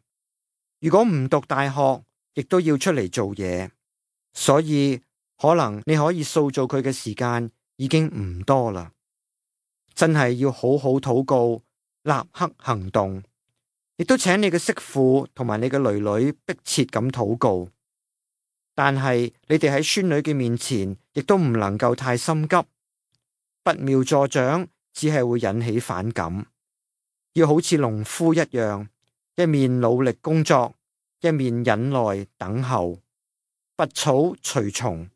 如果唔讀大學，亦都要出嚟做嘢，所以可能你可以塑造佢嘅時間已經唔多啦。真係要好好禱告，立刻行動。亦都請你嘅媳婦同埋你嘅囡囡迫切咁禱告，但係你哋喺孫女嘅面前，亦都唔能夠太心急，拔苗助長只係會引起反感。要好似農夫一樣，一面努力工作，一面忍耐等候。拔草除蟲，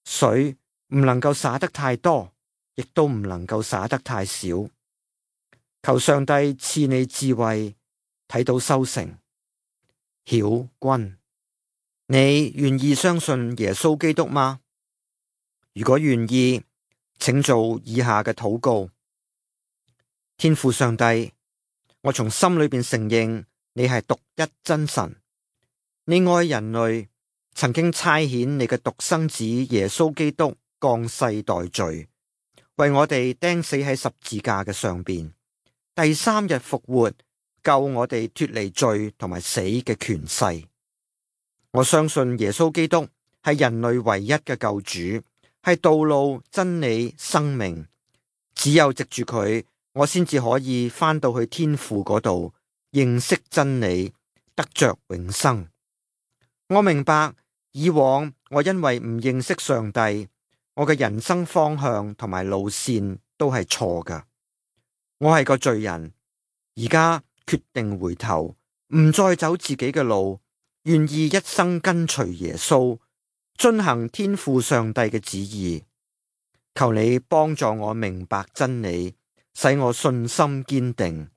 水唔能夠灑得太多，亦都唔能夠灑得太少。求上帝賜你智慧，睇到收成。曉君，你願意相信耶穌基督嗎？如果願意，請做以下嘅禱告。天父上帝，我從心裏邊承認你係獨一真神，你愛人類，曾經差遣你嘅獨生子耶穌基督降世代罪，為我哋釘死喺十字架嘅上邊，第三日復活，救我哋脫離罪同埋死嘅權勢。我相信耶穌基督係人類唯一嘅救主，係道路、真理、生命。只有藉住佢，我先至可以返到去天父嗰度，認識真理，得着永生。我明白以往我因為唔認識上帝，我嘅人生方向同埋路線都係錯㗎。我係個罪人，而家決定回頭，唔再走自己嘅路，願意一生跟隨耶穌，遵行天父上帝嘅旨意。求你幫助我明白真理，使我信心堅定。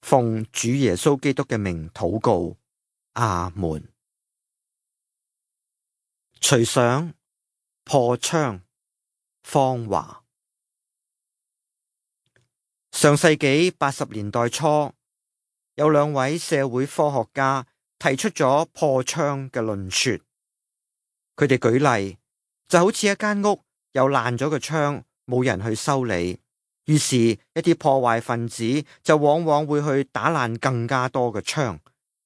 奉主耶穌基督嘅名禱告，阿門。隨想破窗，方華。上世紀八十年代初，有兩位社會科學家提出咗破窗嘅論說。佢哋舉例，就好似一間屋有爛咗嘅窗，冇人去修理，於是一啲破壞分子就往往會去打爛更加多嘅窗，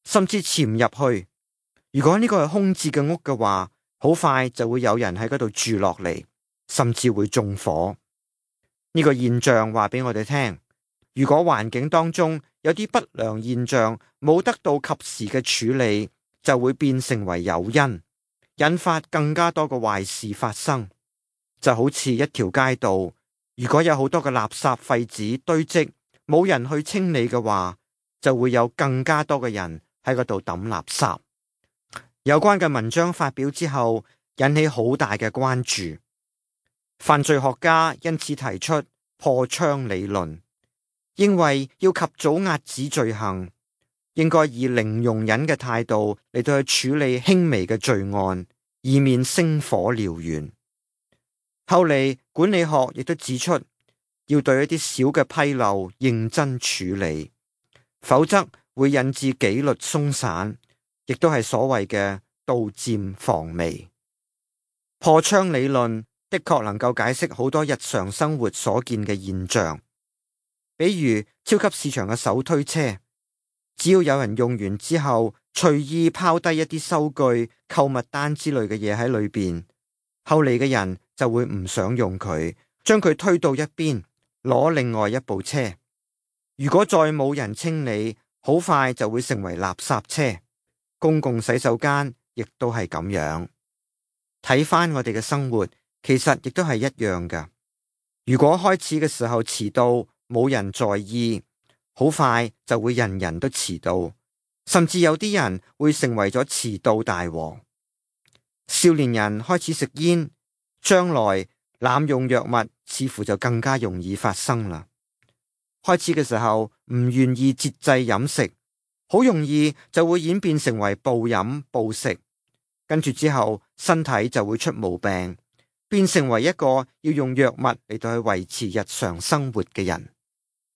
甚至潛入去。如果呢個係空置嘅屋嘅話，好快就會有人喺嗰度住落嚟，甚至會縱火。呢個現象話俾我哋聽，如果環境當中有啲不良現象冇得到及時嘅處理，就會變成為誘因，引發更加多嘅壞事發生。就好似一條街道，如果有好多嘅垃圾廢紙堆積，冇人去清理嘅話，就會有更加多嘅人喺嗰度抌垃圾。有關嘅文章發表之後，引起好大嘅關注。犯罪學家因此提出破窗理論，認為要及早遏止罪行，應該以零容忍嘅態度嚟到去處理輕微嘅罪案，以免星火燎原。後嚟管理學亦都指出，要對一啲小嘅紕漏認真處理，否則會引致紀律鬆散，亦都係所謂嘅杜漸防微。破窗理論的確能夠解釋好多日常生活所見嘅現象，比如超級市場嘅手推車，只要有人用完之後隨意拋低一啲收據、購物單之類嘅嘢喺裏邊，後嚟嘅人就會唔想用佢，將佢推到一邊，攞另外一部車。如果再冇人清理，好快就會成為垃圾車。公共洗手間亦都係咁樣。睇返我哋嘅生活，其實亦都係一樣㗎。如果開始嘅時候遲到，冇人在意，好快就會人人都遲到，甚至有啲人會成為咗遲到大王。少年人開始食煙，將來濫用藥物似乎就更加容易發生啦。開始嘅時候唔願意節制飲食，好容易就會演變成為暴飲暴食。跟住之後，身體就會出毛病，變成為一個要用藥物嚟到去維持日常生活嘅人。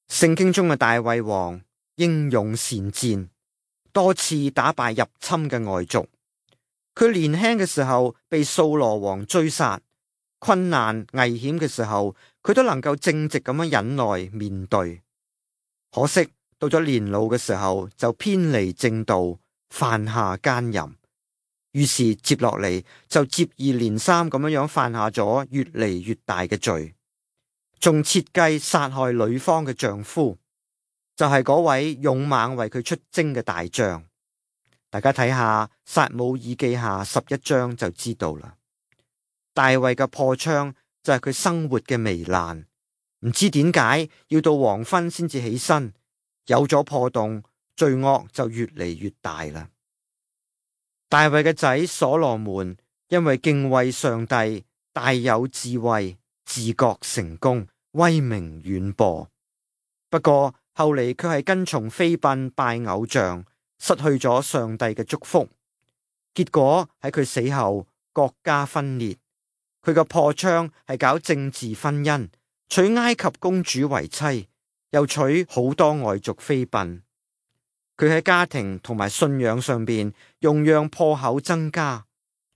聖經中嘅大衛王英勇善戰，多次打敗入侵嘅外族。佢年輕嘅時候被掃羅王追殺，困難、危險嘅時候，佢都能夠正直咁樣忍耐面對。可惜到咗年老嘅時候，就偏離正道，犯下奸淫，於是接落嚟就接二連三咁樣樣犯下咗越嚟越大嘅罪，仲設計殺害女方嘅丈夫，就係嗰位勇猛為佢出征嘅大將。大家睇下撒母耳記下十一章就知道啦。大衛嘅破窗就係佢生活嘅糜爛，唔知點解要到黃昏先至起身，有咗破洞，罪惡就越嚟越大啦。大衛嘅仔所羅門因為敬畏上帝，大有智慧，自覺成功，威名遠播。不過後嚟卻係跟從妃嬪拜偶像，失去咗上帝嘅祝福。結果喺佢死後，國家分裂。佢嘅破窗係搞政治婚姻，娶埃及公主為妻，又娶好多外族妃嬪。佢喺家庭同埋信仰上邊，用樣破口增加，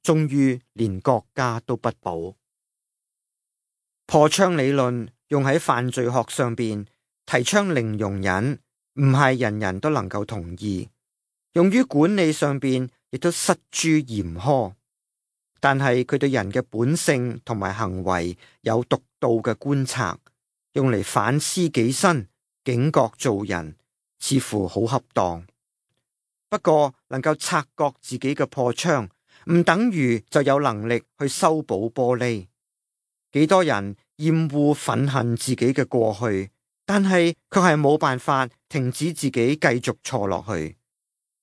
終於連國家都不保。破窗理論用喺犯罪學上邊，提倡零容忍，唔係人人都能夠同意。用於管理上邊，亦都失諸嚴苛。但係佢對人嘅本性同埋行為有獨到嘅觀察，用嚟反思己身、警覺做人，似乎好恰當。不過能夠察覺自己嘅破窗，唔等於就有能力去修補玻璃。幾多人厭惡憤恨自己嘅過去，但係卻係冇辦法停止自己繼續錯落去。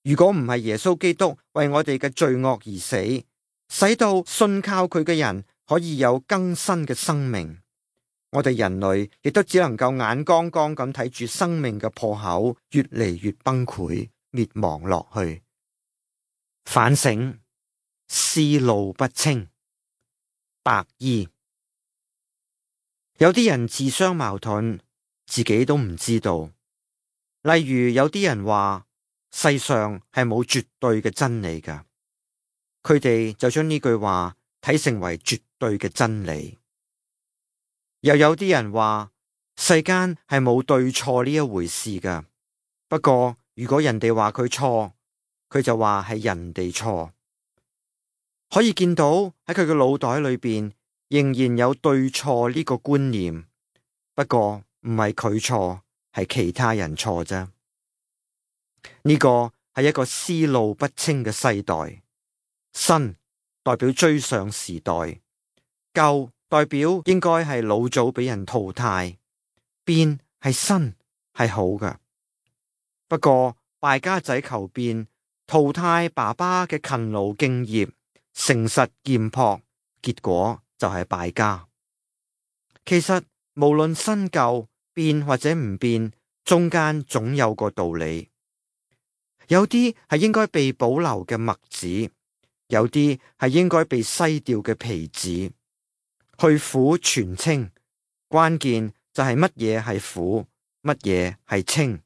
如果唔係耶穌基督為我哋嘅罪惡而死，使到信靠佢嘅人可以有更新嘅生命，我哋人類亦都只能夠眼光光咁睇住生命嘅破口越嚟越崩潰，滅亡落去。反省，思路不清。白衣，有啲人自相矛盾，自己都唔知道。例如有啲人話世上係冇絕對嘅真理㗎。佢哋就將呢句話睇成為絕對嘅真理。又有啲人話世間係冇對錯呢一回事噶。不過如果人哋話佢錯，佢就話係人哋錯。可以見到喺佢嘅腦袋裏邊仍然有對錯呢個觀念。不過唔係佢錯，係其他人錯啫。呢個係一個思路不清嘅世代。新代表追上時代，舊代表應該係老早俾人淘汰，變係新係好㗎。不過敗家仔求變，淘汰爸爸嘅勤勞敬業、誠實儉樸，結果就係敗家。其實無論新舊變或者唔變，中間總有個道理。有啲係應該被保留嘅麥子，有啲係應該被篩掉嘅皮子。去苦全清，關鍵就係乜嘢係苦，乜嘢係清。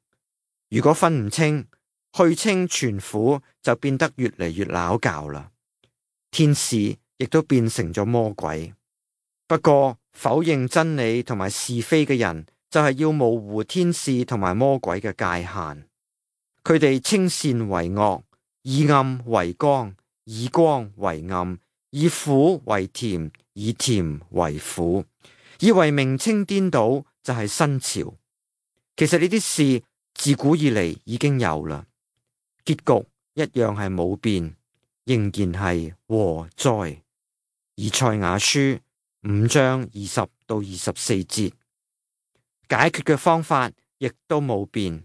如果分唔清，去清全苦就變得越嚟越拗教啦。天使亦都變成咗魔鬼。不過否認真理同埋是非嘅人，就係要模糊天使同埋魔鬼嘅界限。佢哋稱善為惡，以暗為光，以光為暗，以苦為甜，以甜為苦，以為名稱顛倒就係新潮。其實呢啲事自古以嚟已經有啦，結局一樣係冇變，仍然係禍哉。以賽亞書五章二十到二十四節，解決嘅方法亦都冇變。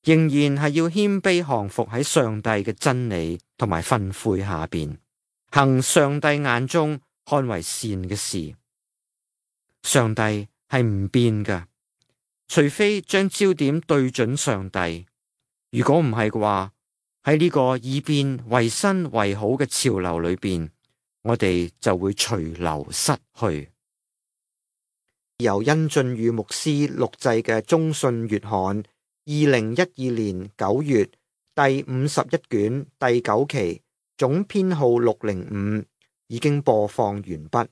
仍然係要謙卑降服喺上帝嘅真理同埋訓誨下邊，行上帝眼中看為善嘅事。上帝係唔變㗎，除非將焦點對準上帝。如果唔係嘅話，喺呢個以變為新為好嘅潮流裏邊，我哋就會隨流失去。由殷俊宇牧師錄製嘅中信月刊二零一二年九月第五十一卷第九期總編號六零五已經播放完畢。